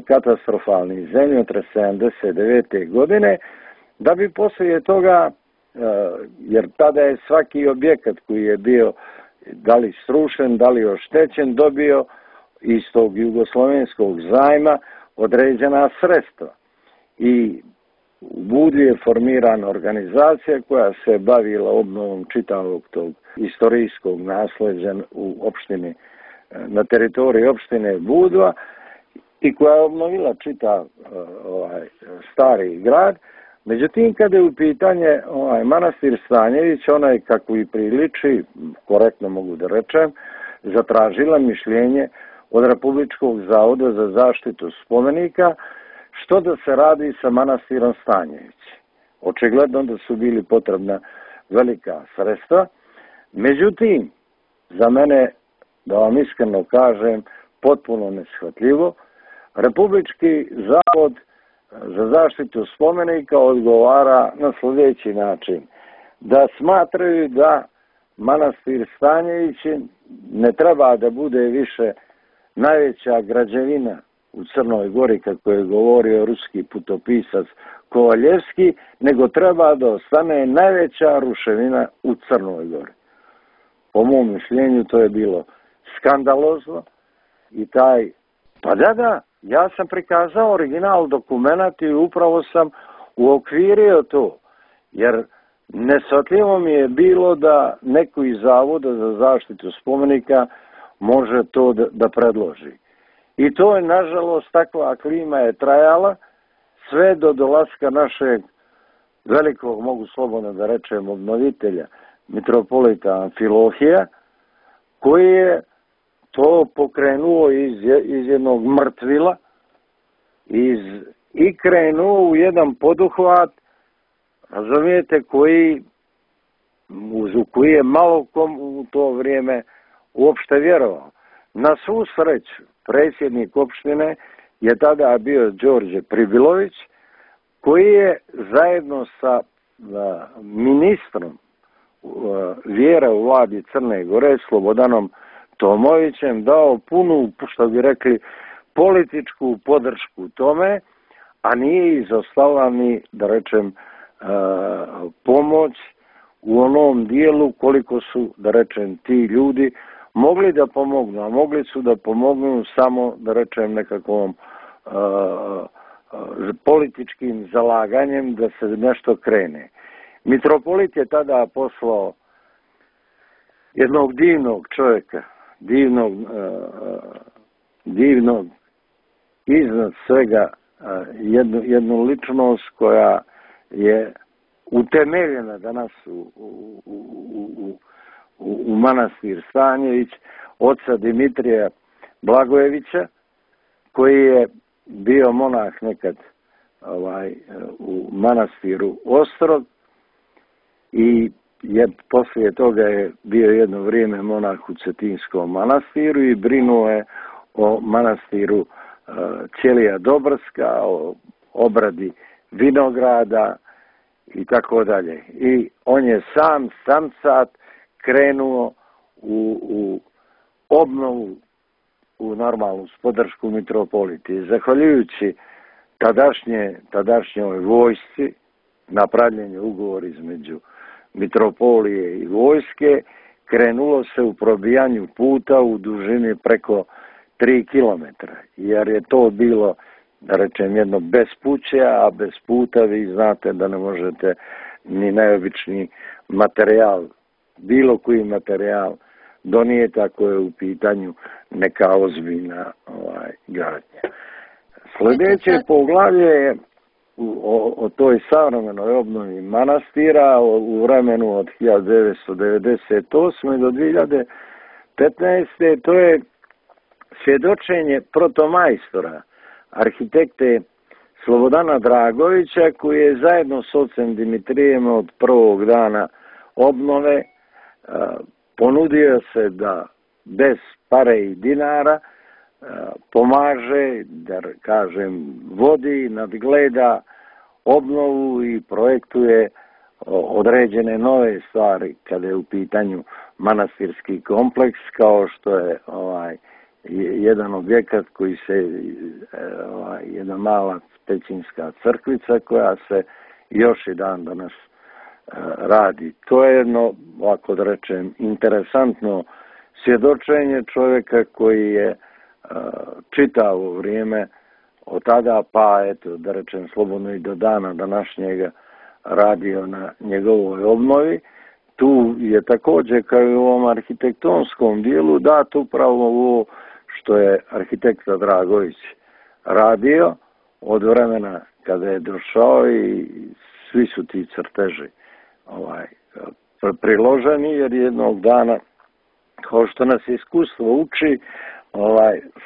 katastrofalni zemljotres 79. godine, da bi poslije toga, jer tada je svaki objekat koji je bio da li srušen, da li oštećen, dobio iz tog jugoslovenskog zajma određena sredstva. I u Budvi je formirana organizacija koja se bavila obnovom čitavog tog istorijskog nasleđa u opštini, na teritoriji opštine Budva, i koja je obnovila čitav stari grad. Međutim, kada je u pitanje manastir Stanjević, ona je, kako i priliči, korektno mogu da rečem, zatražila mišljenje od Republičkog zavoda za zaštitu spomenika što da se radi sa manastirom Stanjević. Očigledno da su bili potrebna velika sredstva. Međutim, za mene, da vam iskreno kažem, potpuno neshvatljivo, Republički zavod za zaštitu spomenika odgovara na sljedeći način. Da smatraju da manastir Stanjević ne treba da bude više najveća građevina u Crnoj Gori, kako je govorio ruski putopisac Kovaljevski, nego treba da ostane najveća ruševina u Crnoj Gori. Po mom mišljenju to je bilo skandalozno i pa da, ja sam prikazao original dokumenat i upravo sam uokvirio to, jer neshvatljivo mi je bilo da neko iz Zavoda za zaštitu spomenika može to da predloži. I to je, nažalost, takva klima je trajala sve do dolaska našeg velikog, mogu slobodno da rečem, obnovitelja, mitropolita Amfilohija, koji je to pokrenuo iz jednog mrtvila i krenuo u jedan poduhvat, razumijete, u koji je malo kom u to vrijeme uopšte vjerovao. Na svu sreću, predsjednik opštine je tada bio Đorđe Pribilović, koji je zajedno sa ministrom vjera u vladi Crne Gore, Slobodanom Tomovićem, dao punu, što bi rekli, političku podršku tome, a nije izostala ni, da rečem, pomoć u onom dijelu koliko su, da rečem, ti ljudi mogli da pomognu, a mogli su da pomognu samo, da rečem, nekakvom političkim zalaganjem da se nešto krene. Mitropolit je tada poslao jednog divnog čovjeka, divnog iznad svega, jednu ličnost koja je utemeljena danas u manastir Stanjević, oca Dimitrija Blagojevića, koji je bio monah nekad u manastiru Ostrog i poslije toga je bio jedno vrijeme monah u Cetinskom manastiru i brinuo je o manastiru Ćelija Dobrska, o obradi vinograda i tako dalje. I on je samcat krenuo u obnovu u normalnu podršku mitropoliti. Zahvaljujući tadašnjoj vojsci, napravljen je ugovor između mitropolije i vojske, krenulo se u probijanju puta u dužini preko 3 km, jer je to bilo, da rečem, jedno bespuće, a bez puta vi znate da ne možete ni najobičniji materijal, bilo koji materijal donijeti ako je u pitanju neka ozbiljna gradnja. Sljedeće poglavlje je o toj savremenoj obnovi manastira u vremenu od 1998. do 2015. To je svjedočenje protomajstora, arhitekte Slobodana Dragovića, koji je zajedno s ocem Dimitrijem od prvog dana obnove ponudio se da bez pare i dinara pomaže, da kažem, vodi, nadgleda obnovu i projektuje određene nove stvari kada je u pitanju manastirski kompleks, kao što je jedan objekat koji se, jedna mala pećinska crkvica koja se još i dan danas radi. To je jedno, ovako da rečem, interesantno svjedočenje čovjeka koji je čitavo vrijeme od tada pa, eto, da rečem slobodno i do dana današnjega radio na njegovoj obnovi. Tu je također, kao i u ovom arhitektonskom dijelu, dato upravo ovo što je arhitekta Dragović radio od vremena kada je došao, i svi su ti crteži priloženi, jer jednog dana, kao što nas iskustvo uči,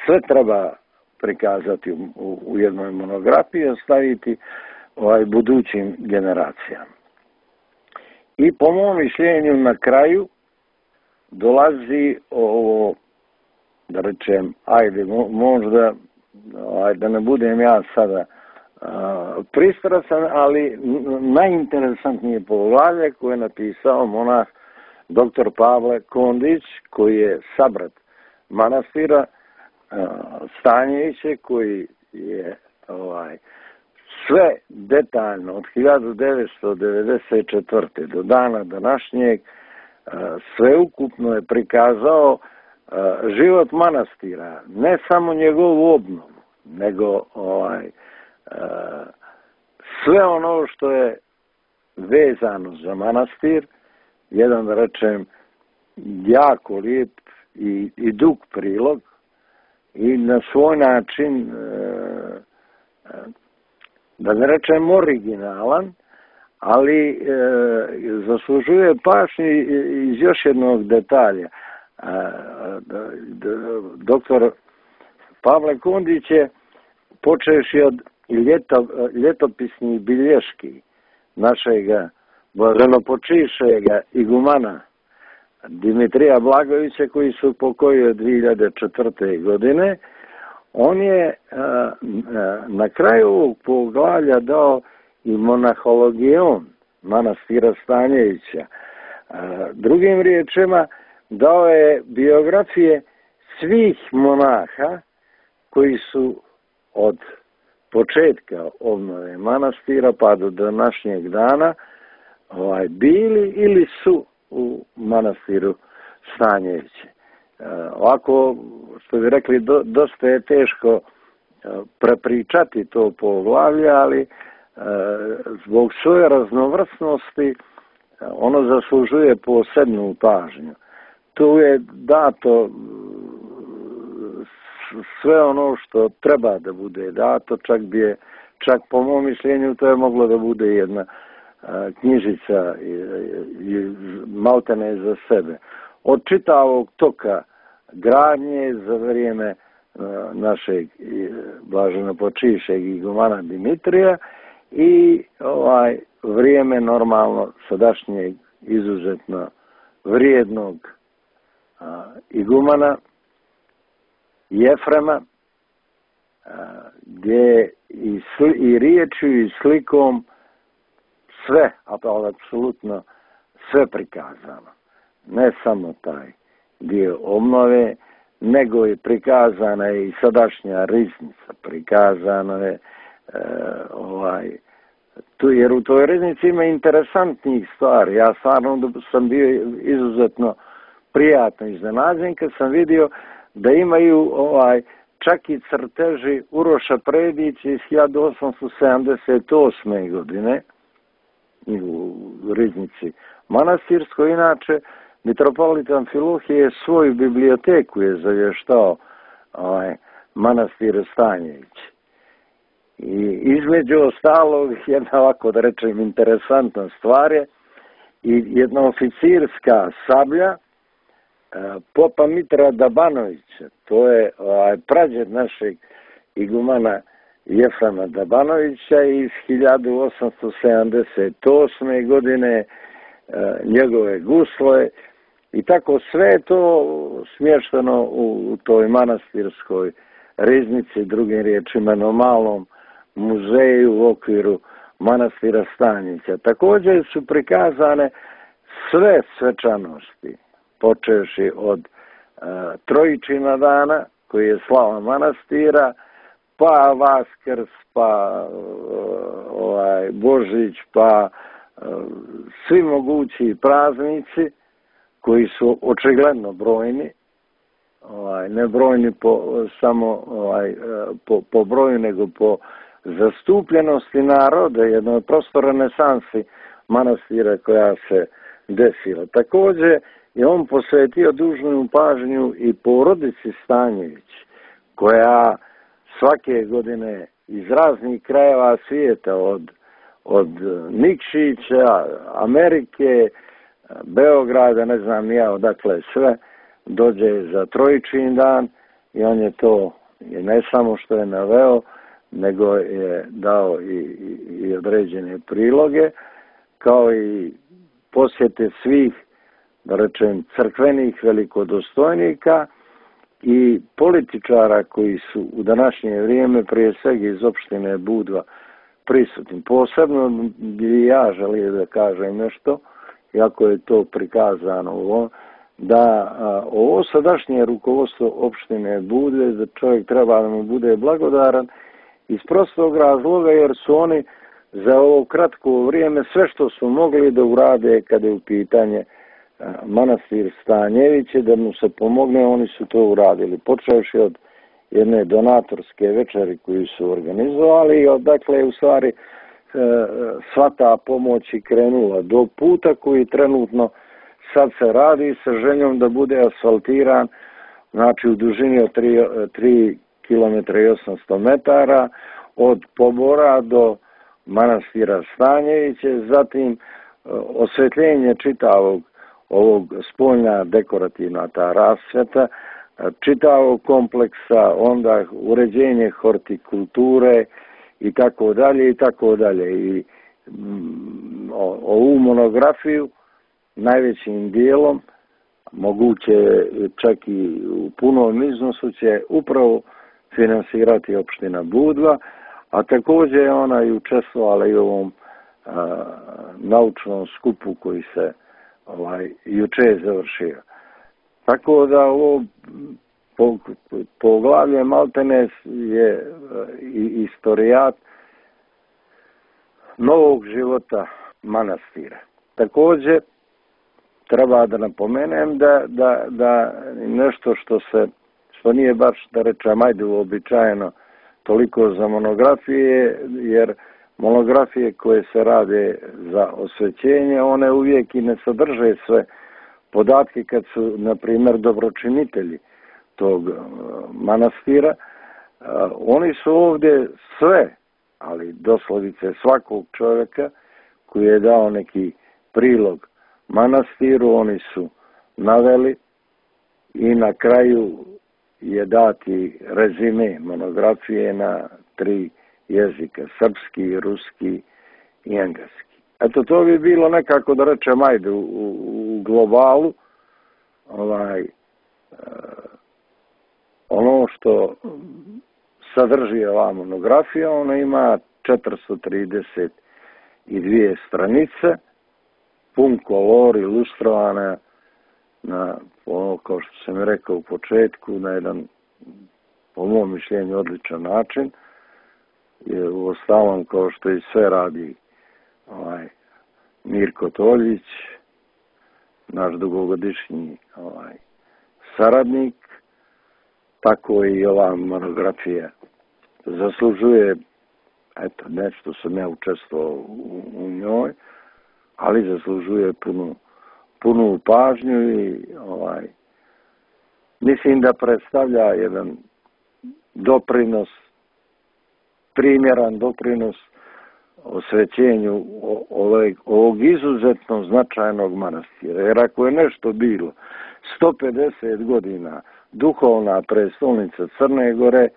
sve treba prikazati u jednoj monografiji, ostaviti budućim generacijama. I po mom mišljenju na kraju dolazi ovo, da rečem, ajde, možda, da ne budem ja sada pristrasan, ali najinteresantnije poglavlje koje je napisao monah dr. Pavle Kondić, koji je sabrat manastira Stanjeviće, koji je sve detaljno od 1994. do dana današnjeg sveukupno je prikazao život manastira, ne samo njegovu obnovu, nego sve ono što je vezano za manastir, jedan, da rečem, jako lijep i dug prilog, i na svoj način, da ne rečem originalan, ali zaslužuje pažnju iz još jednog detalja. Doktor Pavle Kondić je, počevši od ljetopisnih bilješki našega blaženopočivšega igumana Dimitrija Blagovića, koji su pokojio 2004. godine, on je na kraju ovog poglavlja dao i monahologion manastira Stanjevića. Drugim riječima, dao je biografije svih monaha koji su od početka obnove manastira pa do današnjeg dana bili ili su u manastiru Stanjeviće. Ovako, što bi rekli, dosta je teško prepričati to poglavlje, ali zbog svoje raznovrsnosti ono zaslužuje posebnu pažnju. Tu je dato sve ono što treba da bude dato, čak po mom mišljenju to je moglo da bude jedna knjižica maltene za sebe. Od čitavog toka gradnje za vrijeme našeg blaženopočivšeg igumana Dimitrija i vrijeme normalno sadašnjeg izuzetno vrijednog igumana Jefrema, gdje i riječju i slikom sve, ali apsolutno sve prikazano. Ne samo taj dio obnove, nego je prikazana i sadašnja riznica, prikazano je jer u toj riznici ima interesantnih stvari. Ja stvarno sam bio izuzetno prijatno iznenađen kad sam vidio da imaju čak i crteži Uroša Predića iz 1878. godine u riznici manastirskoj. Inače, mitropolit Amfilohije svoju biblioteku je zavještao manastir Stanjević. I između ostalog, jedna ovako da rečem interesantna stvar je i jedna oficirska sablja popa Mitra Dabanovića. To je prađed našeg igumana Jefrema Dabanovića iz 1878. godine, njegove gusle i tako sve je to smješteno u toj manastirskoj riznici, drugim riječima na malom muzeju u okviru manastira Stanjića. Također su prikazane sve svečanosti, počevši od Trojičina dana, koji je slava manastira, pa Vaskrs, pa Božić, pa svi mogući praznici koji su očigledno brojni, ne brojni samo po broju, nego po zastupljenosti naroda, jednoj prosto renesansi manastira koja se desila. Također je on posvetio dužnu pažnju i porodici Stanjević, koja svake godine iz raznih krajeva svijeta, od Nikšića, Amerike, Beograda, ne znam ja odakle sve, dođe za Trojičin dan i on je to ne samo što je naveo, nego je dao i određene priloge, kao i posjete svih, da rečem, crkvenih velikodostojnika i političara koji su u današnje vrijeme prije svega iz opštine Budva prisutni. Posebno bi ja želio da kažem nešto, iako je to prikazano da ovo sadašnje rukovodstvo opštine Budve, da čovjek treba da mu bude blagodaran iz prostog razloga jer su oni za ovo kratko vrijeme sve što su mogli da urade kada je u pitanje manastir Stanjeviće, da mu se pomogne, oni su to uradili. Počevši od jedne donatorske večeri koju su organizovali i odakle u stvari sva ta pomoć i krenula do puta koji trenutno sad se radi sa željom da bude asfaltiran, znači u dužini od 3 km i 800 metara od Pobora do manastira Stanjeviće, zatim osvjetljenje čitavog ovog spoljna dekorativna ta rasvjeta, čitavog kompleksa, onda uređenje hortikulture i tako dalje i tako dalje. I ovu monografiju najvećim dijelom, moguće čak i u punom iznosu, će upravo finansirati opština Budva, a također je ona i učestvovala i u ovom naučnom skupu koji se juče završio. Tako da ovo poglavlje maltene je istorijat novog života manastira. Također treba da napomenem da nešto što nije baš, da rečem, ajde uobičajeno toliko za monografije, jer monografije koje se rade za osvećenje, one uvijek i ne sadrže sve podatke kad su, na primjer, dobročinitelji tog manastira. Oni su ovdje sve, ali doslovice svakog čovjeka koji je dao neki prilog manastiru, oni su naveli i na kraju je dati rezime monografije na 3 jezika, srpski, ruski i engleski. Eto, to bi bilo nekako, da rečem, ajde, u globalu, ono što sadrži ova monografija, ona ima 432 stranice, pun kolor, ilustrovana na ono, kao što sam rekao u početku, na jedan, po mom mišljenju, odličan način. Jer u ostalom, kao što i sve radi Mirko Toljić, naš dugogodišnji saradnik, tako i ova monografija zaslužuje, eto, nešto sam ja učestvovao u njoj, ali zaslužuje punu pažnju i mislim da predstavlja jedan doprinos, primjeran doprinos osvećenju ovog izuzetno značajnog manastira. Jer ako je nešto bilo 150 godina duhovna prestolnica Crne Gore,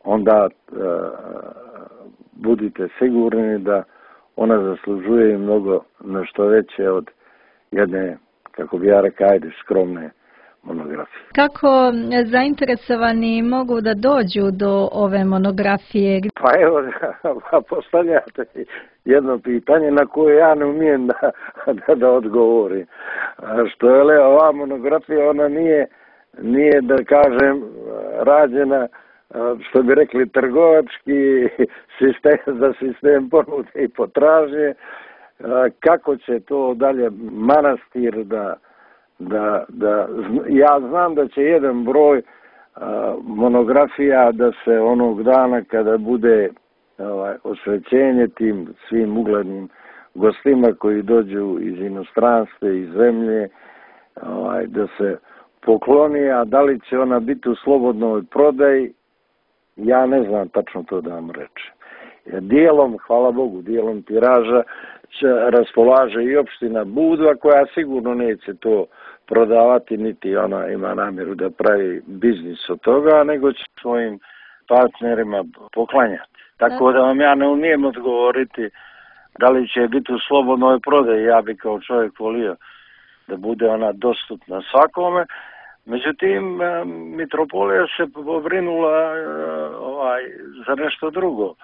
onda budite sigurni da ona zaslužuje mnogo nešto veće od jedne, kako bi ja rekao, skromne monografije. Kako zainteresovani mogu da dođu do ove monografije? Pa evo, postavljate jedno pitanje na koje ja ne umijem da odgovorim. Što je ova monografija, ona nije da kažem rađena, što bi rekli, trgovački sistem za sistem ponude i potražnje. Kako će to dalje manastir ja znam da će jedan broj monografija da se onog dana kada bude osvećenje tim svim uglednim gostima koji dođu iz inostranstva, iz zemlje, da se pokloni, a da li će ona biti u slobodnoj prodaji, ja ne znam tačno to da vam rečem. Dijelom, hvala Bogu, dijelom tiraža raspolaže i opština Budva, koja sigurno neće to prodavati, niti ona ima namjeru da pravi biznis od toga, nego će svojim partnerima poklanjati. Tako da vam ja ne umijem odgovoriti da li će biti u slobodnoj prodaji. Ja bi kao čovjek volio da bude ona dostupna svakome. Međutim, mitropolija se pobrinula za nešto drugo.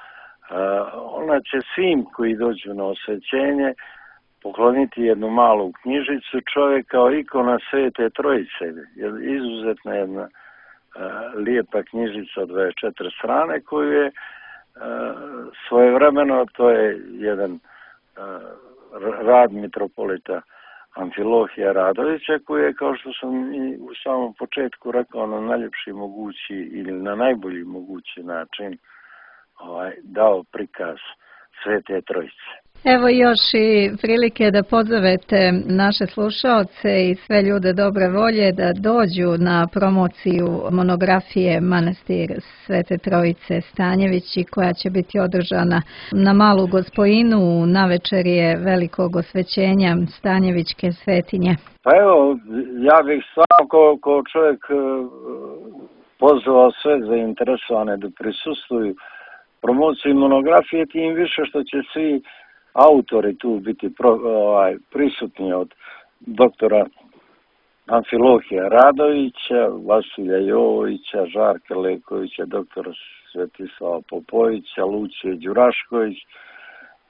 Ona će svim koji dođu na osvećenje pokloniti jednu malu knjižicu, čovjek kao ikona Svete Trojice. Izuzetna jedna lijepa knjižica od 24 strane koju je svojevremeno, to je jedan rad mitropolita Amfilohija Radovića, koji je, kao što sam i u samom početku rekao, na najljepši mogući ili na najbolji mogući način dao prikaz Svete Trojice. Evo još i prilike da pozovete naše slušaoce i sve ljude dobre volje da dođu na promociju monografije Manastir Svete Trojice Stanjevići, koja će biti održana na Malu Gospojinu na večerje velikog osvećenja Stanjevićke svetinje. Pa evo, ja bih stvarno kao čovjek pozvao sve zainteresovane da prisustvuju promociji monografije, tim više što će svi autori tu biti prisutni, od doktora Amfilohija Radovića, Vasilja Jovovića, Žarka Lekovića, doktora Svetislava Popovića, Lucije Đurašković,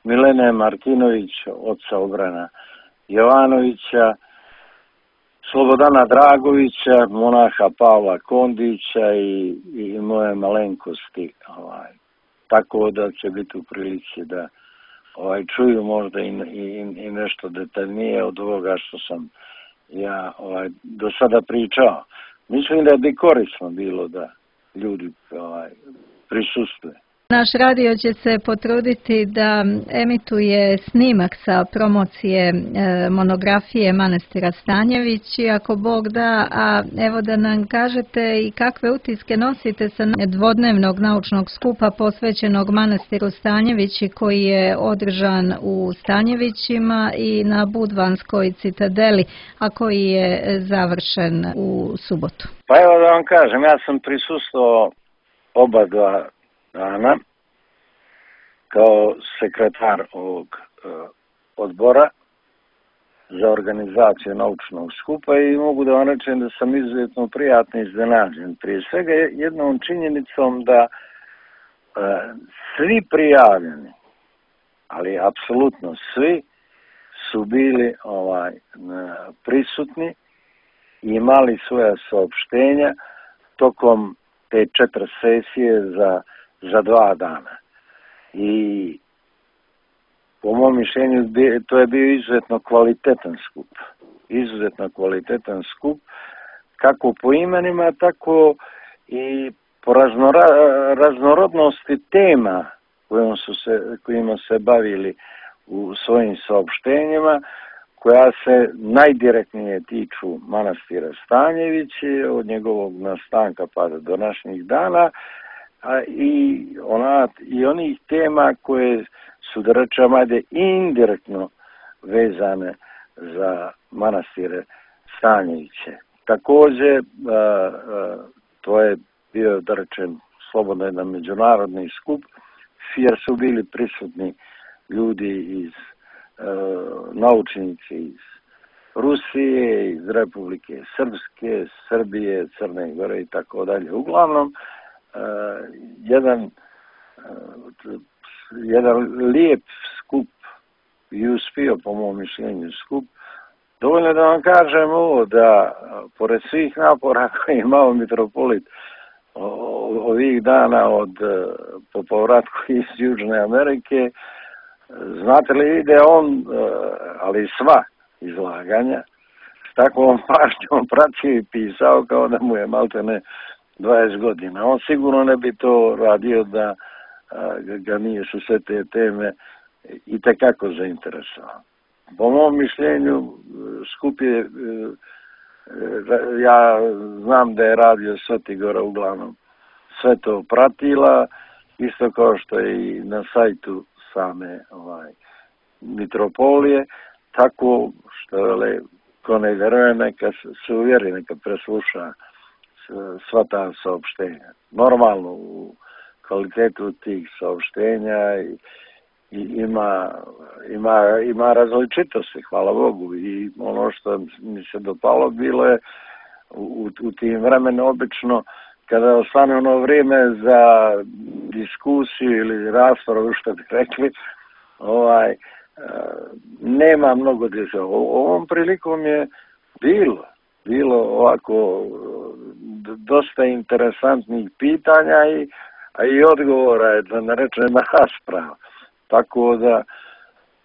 Milene Martinović, oca Obrana Jovanovića, Slobodana Dragovića, monaha Pavla Kondića i moje malenkosti. Tako da će biti u prilici da čuju možda i nešto detaljnije od ovoga što sam ja do sada pričao. Mislim da bi korisno bilo da ljudi prisustvuju. Naš radio će se potruditi da emituje snimak sa promocije monografije Manastira Stanjević, ako Bog da, a evo da nam kažete i kakve utiske nosite sa dvodnevnog naučnog skupa posvećenog Manastiru Stanjevići, koji je održan u Stanjevićima i na Budvanskoj citadeli, a koji je završen u subotu. Pa evo da vam kažem, ja sam prisustvovao oba dva dana kao sekretar ovog odbora za organizaciju naučnog skupa i mogu da vam rečem da sam izuzetno prijatno iznenađen. Prije svega jednom činjenicom da svi prijavljeni, ali apsolutno svi, su bili prisutni imali svoja saopštenja tokom te 4 sesije za 2 dana. I po mom mišljenju to je bio izuzetno kvalitetan skup. Izuzetno kvalitetan skup, kako po imenima, tako i po raznorodnosti tema kojima se bavili u svojim saopštenjima, koja se najdirektnije tiču manastira Stanjeviće, od njegovog nastanka pa do današnjih dana, i onih tema koje su, da rečem, indirektno vezane za manastire Stanjeviće. Također, to je bio, da rečem, slobodno jedan međunarodni skup, jer su bili prisutni ljudi naučnici iz Rusije, iz Republike Srpske, Srbije, Crne Gore i tako dalje. Uglavnom, jedan lijep skup i uspio, po mom mišljenju, skup. Dovoljno da vam kažem ovo, da pored svih napora koje je imao mitropolit ovih dana po povratku iz Južne Amerike, znate li da je on, ali sva izlaganja, s takvom pažnjom pratio i pisao kao da mu je maltene 20 godina. On sigurno ne bi to radio da ga nije su sve te teme i tekako zainteresovao. Po mom mišljenju, skup je, ja znam da je radio Svetigora uglavnom sve to pratila, isto kao što je i na sajtu same mitropolije, tako što ko ne vjeruje, neka se uvjeri, neka presluša sva ta saopštenja. Normalno, u kvalitetu tih saopštenja ima različitosti, hvala Bogu, i ono što mi se dopalo bilo je u tim vremenu obično kada ostane ono vrijeme za diskusiju ili raspravu, što bi rekli, nema mnogo djece. Ovom prilikom je bilo ovako dosta interesantnih pitanja i odgovora, da ne rečem rasprava. Tako da,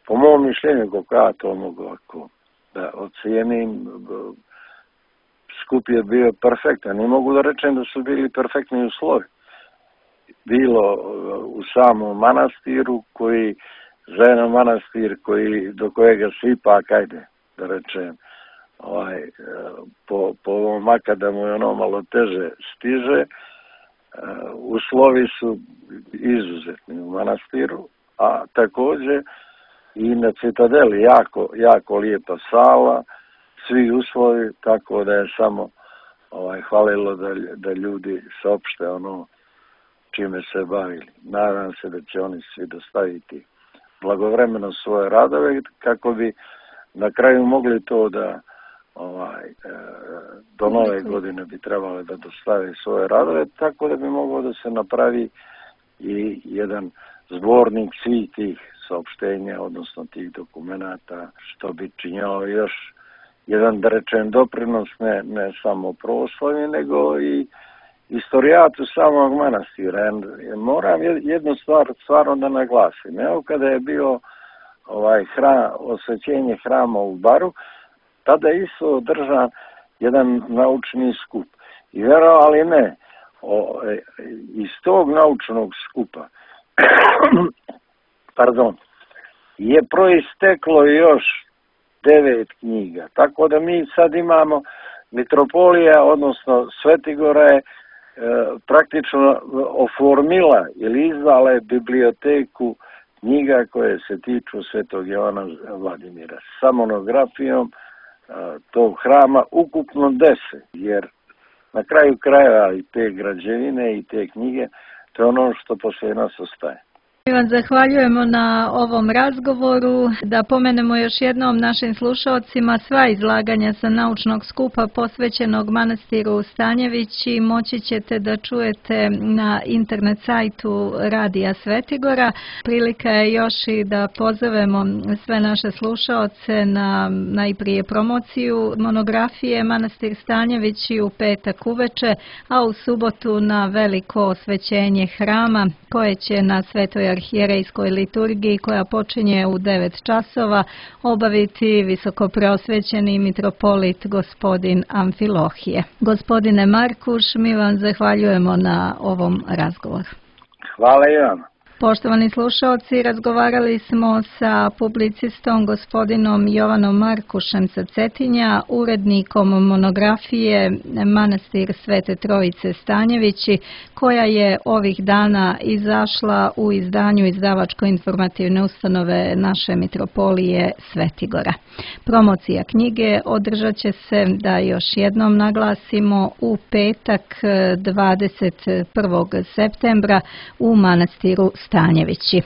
po mom mišljenju, kako ja to mogu ovako da ocijenim, skup je bio perfektan. Ne mogu da rečem da su bili perfektni uslovi. Bilo u samom manastiru, za jedan manastir do kojega se ipak, ajde da rečem, po ovom makadamu je ono malo teže stiže, uslovi su izuzetni u manastiru, a također i na Citadeli jako lijepa sala, svi uslovi, tako da je samo hvalilo da ljudi saopšte ono čime se bavili. Nadam se da će oni svi dostaviti blagovremeno svoje radove, kako bi na kraju mogli to da do nove godine bi trebali da dostave svoje radove, tako da bi moglo da se napravi i jedan zbornik svih tih saopštenja, odnosno tih dokumenata, što bi činjao još jedan, da rečem, doprinos ne samo proslavi, nego i istorijatu samog manastira. Moram jednu stvar stvarno da naglasim. Evo, kada je bio osvećenje hrama u Baru, tada je isto održan jedan naučni skup. I verovali ne, iz tog naučnog skupa je proisteklo još 9 knjiga. Tako da mi sad imamo mitropolija, odnosno Svetigora je praktično oformila ili izdala je biblioteku knjiga koje se tiču Svetog Jovana Vladimira. Sa monografijom tog hrama ukupno 10, jer na kraju krajeva i te građevine i te knjige, to je ono što poslije nas ostaje. Mi vam zahvaljujemo na ovom razgovoru. Da pomenemo još jednom našim slušalcima, sva izlaganja sa naučnog skupa posvećenog manastiru Stanjevići moći ćete da čujete na internet sajtu Radija Svetigora. Prilika je još i da pozovemo sve naše slušaoce na najprije promociju monografije Manastir Stanjevići u petak uveče, a u subotu na veliko osvećenje hrama koje će na Svetoj arhijerejskoj liturgiji koja počinje u 9 časova obaviti visokopreosvećeni mitropolit gospodin Amfilohije. Gospodine Markuš, mi vam zahvaljujemo na ovom razgovoru. Hvala i vam. Poštovani slušalci, razgovarali smo sa publicistom gospodinom Jovanom Markušem sa Cetinja, urednikom monografije Manastir Svete Trojice Stanjevići, koja je ovih dana izašla u izdanju izdavačko-informativne ustanove naše mitropolije Svetigora. Promocija knjige održat će se, da još jednom naglasimo, u petak 21. septembra u Manastiru Stanjevići.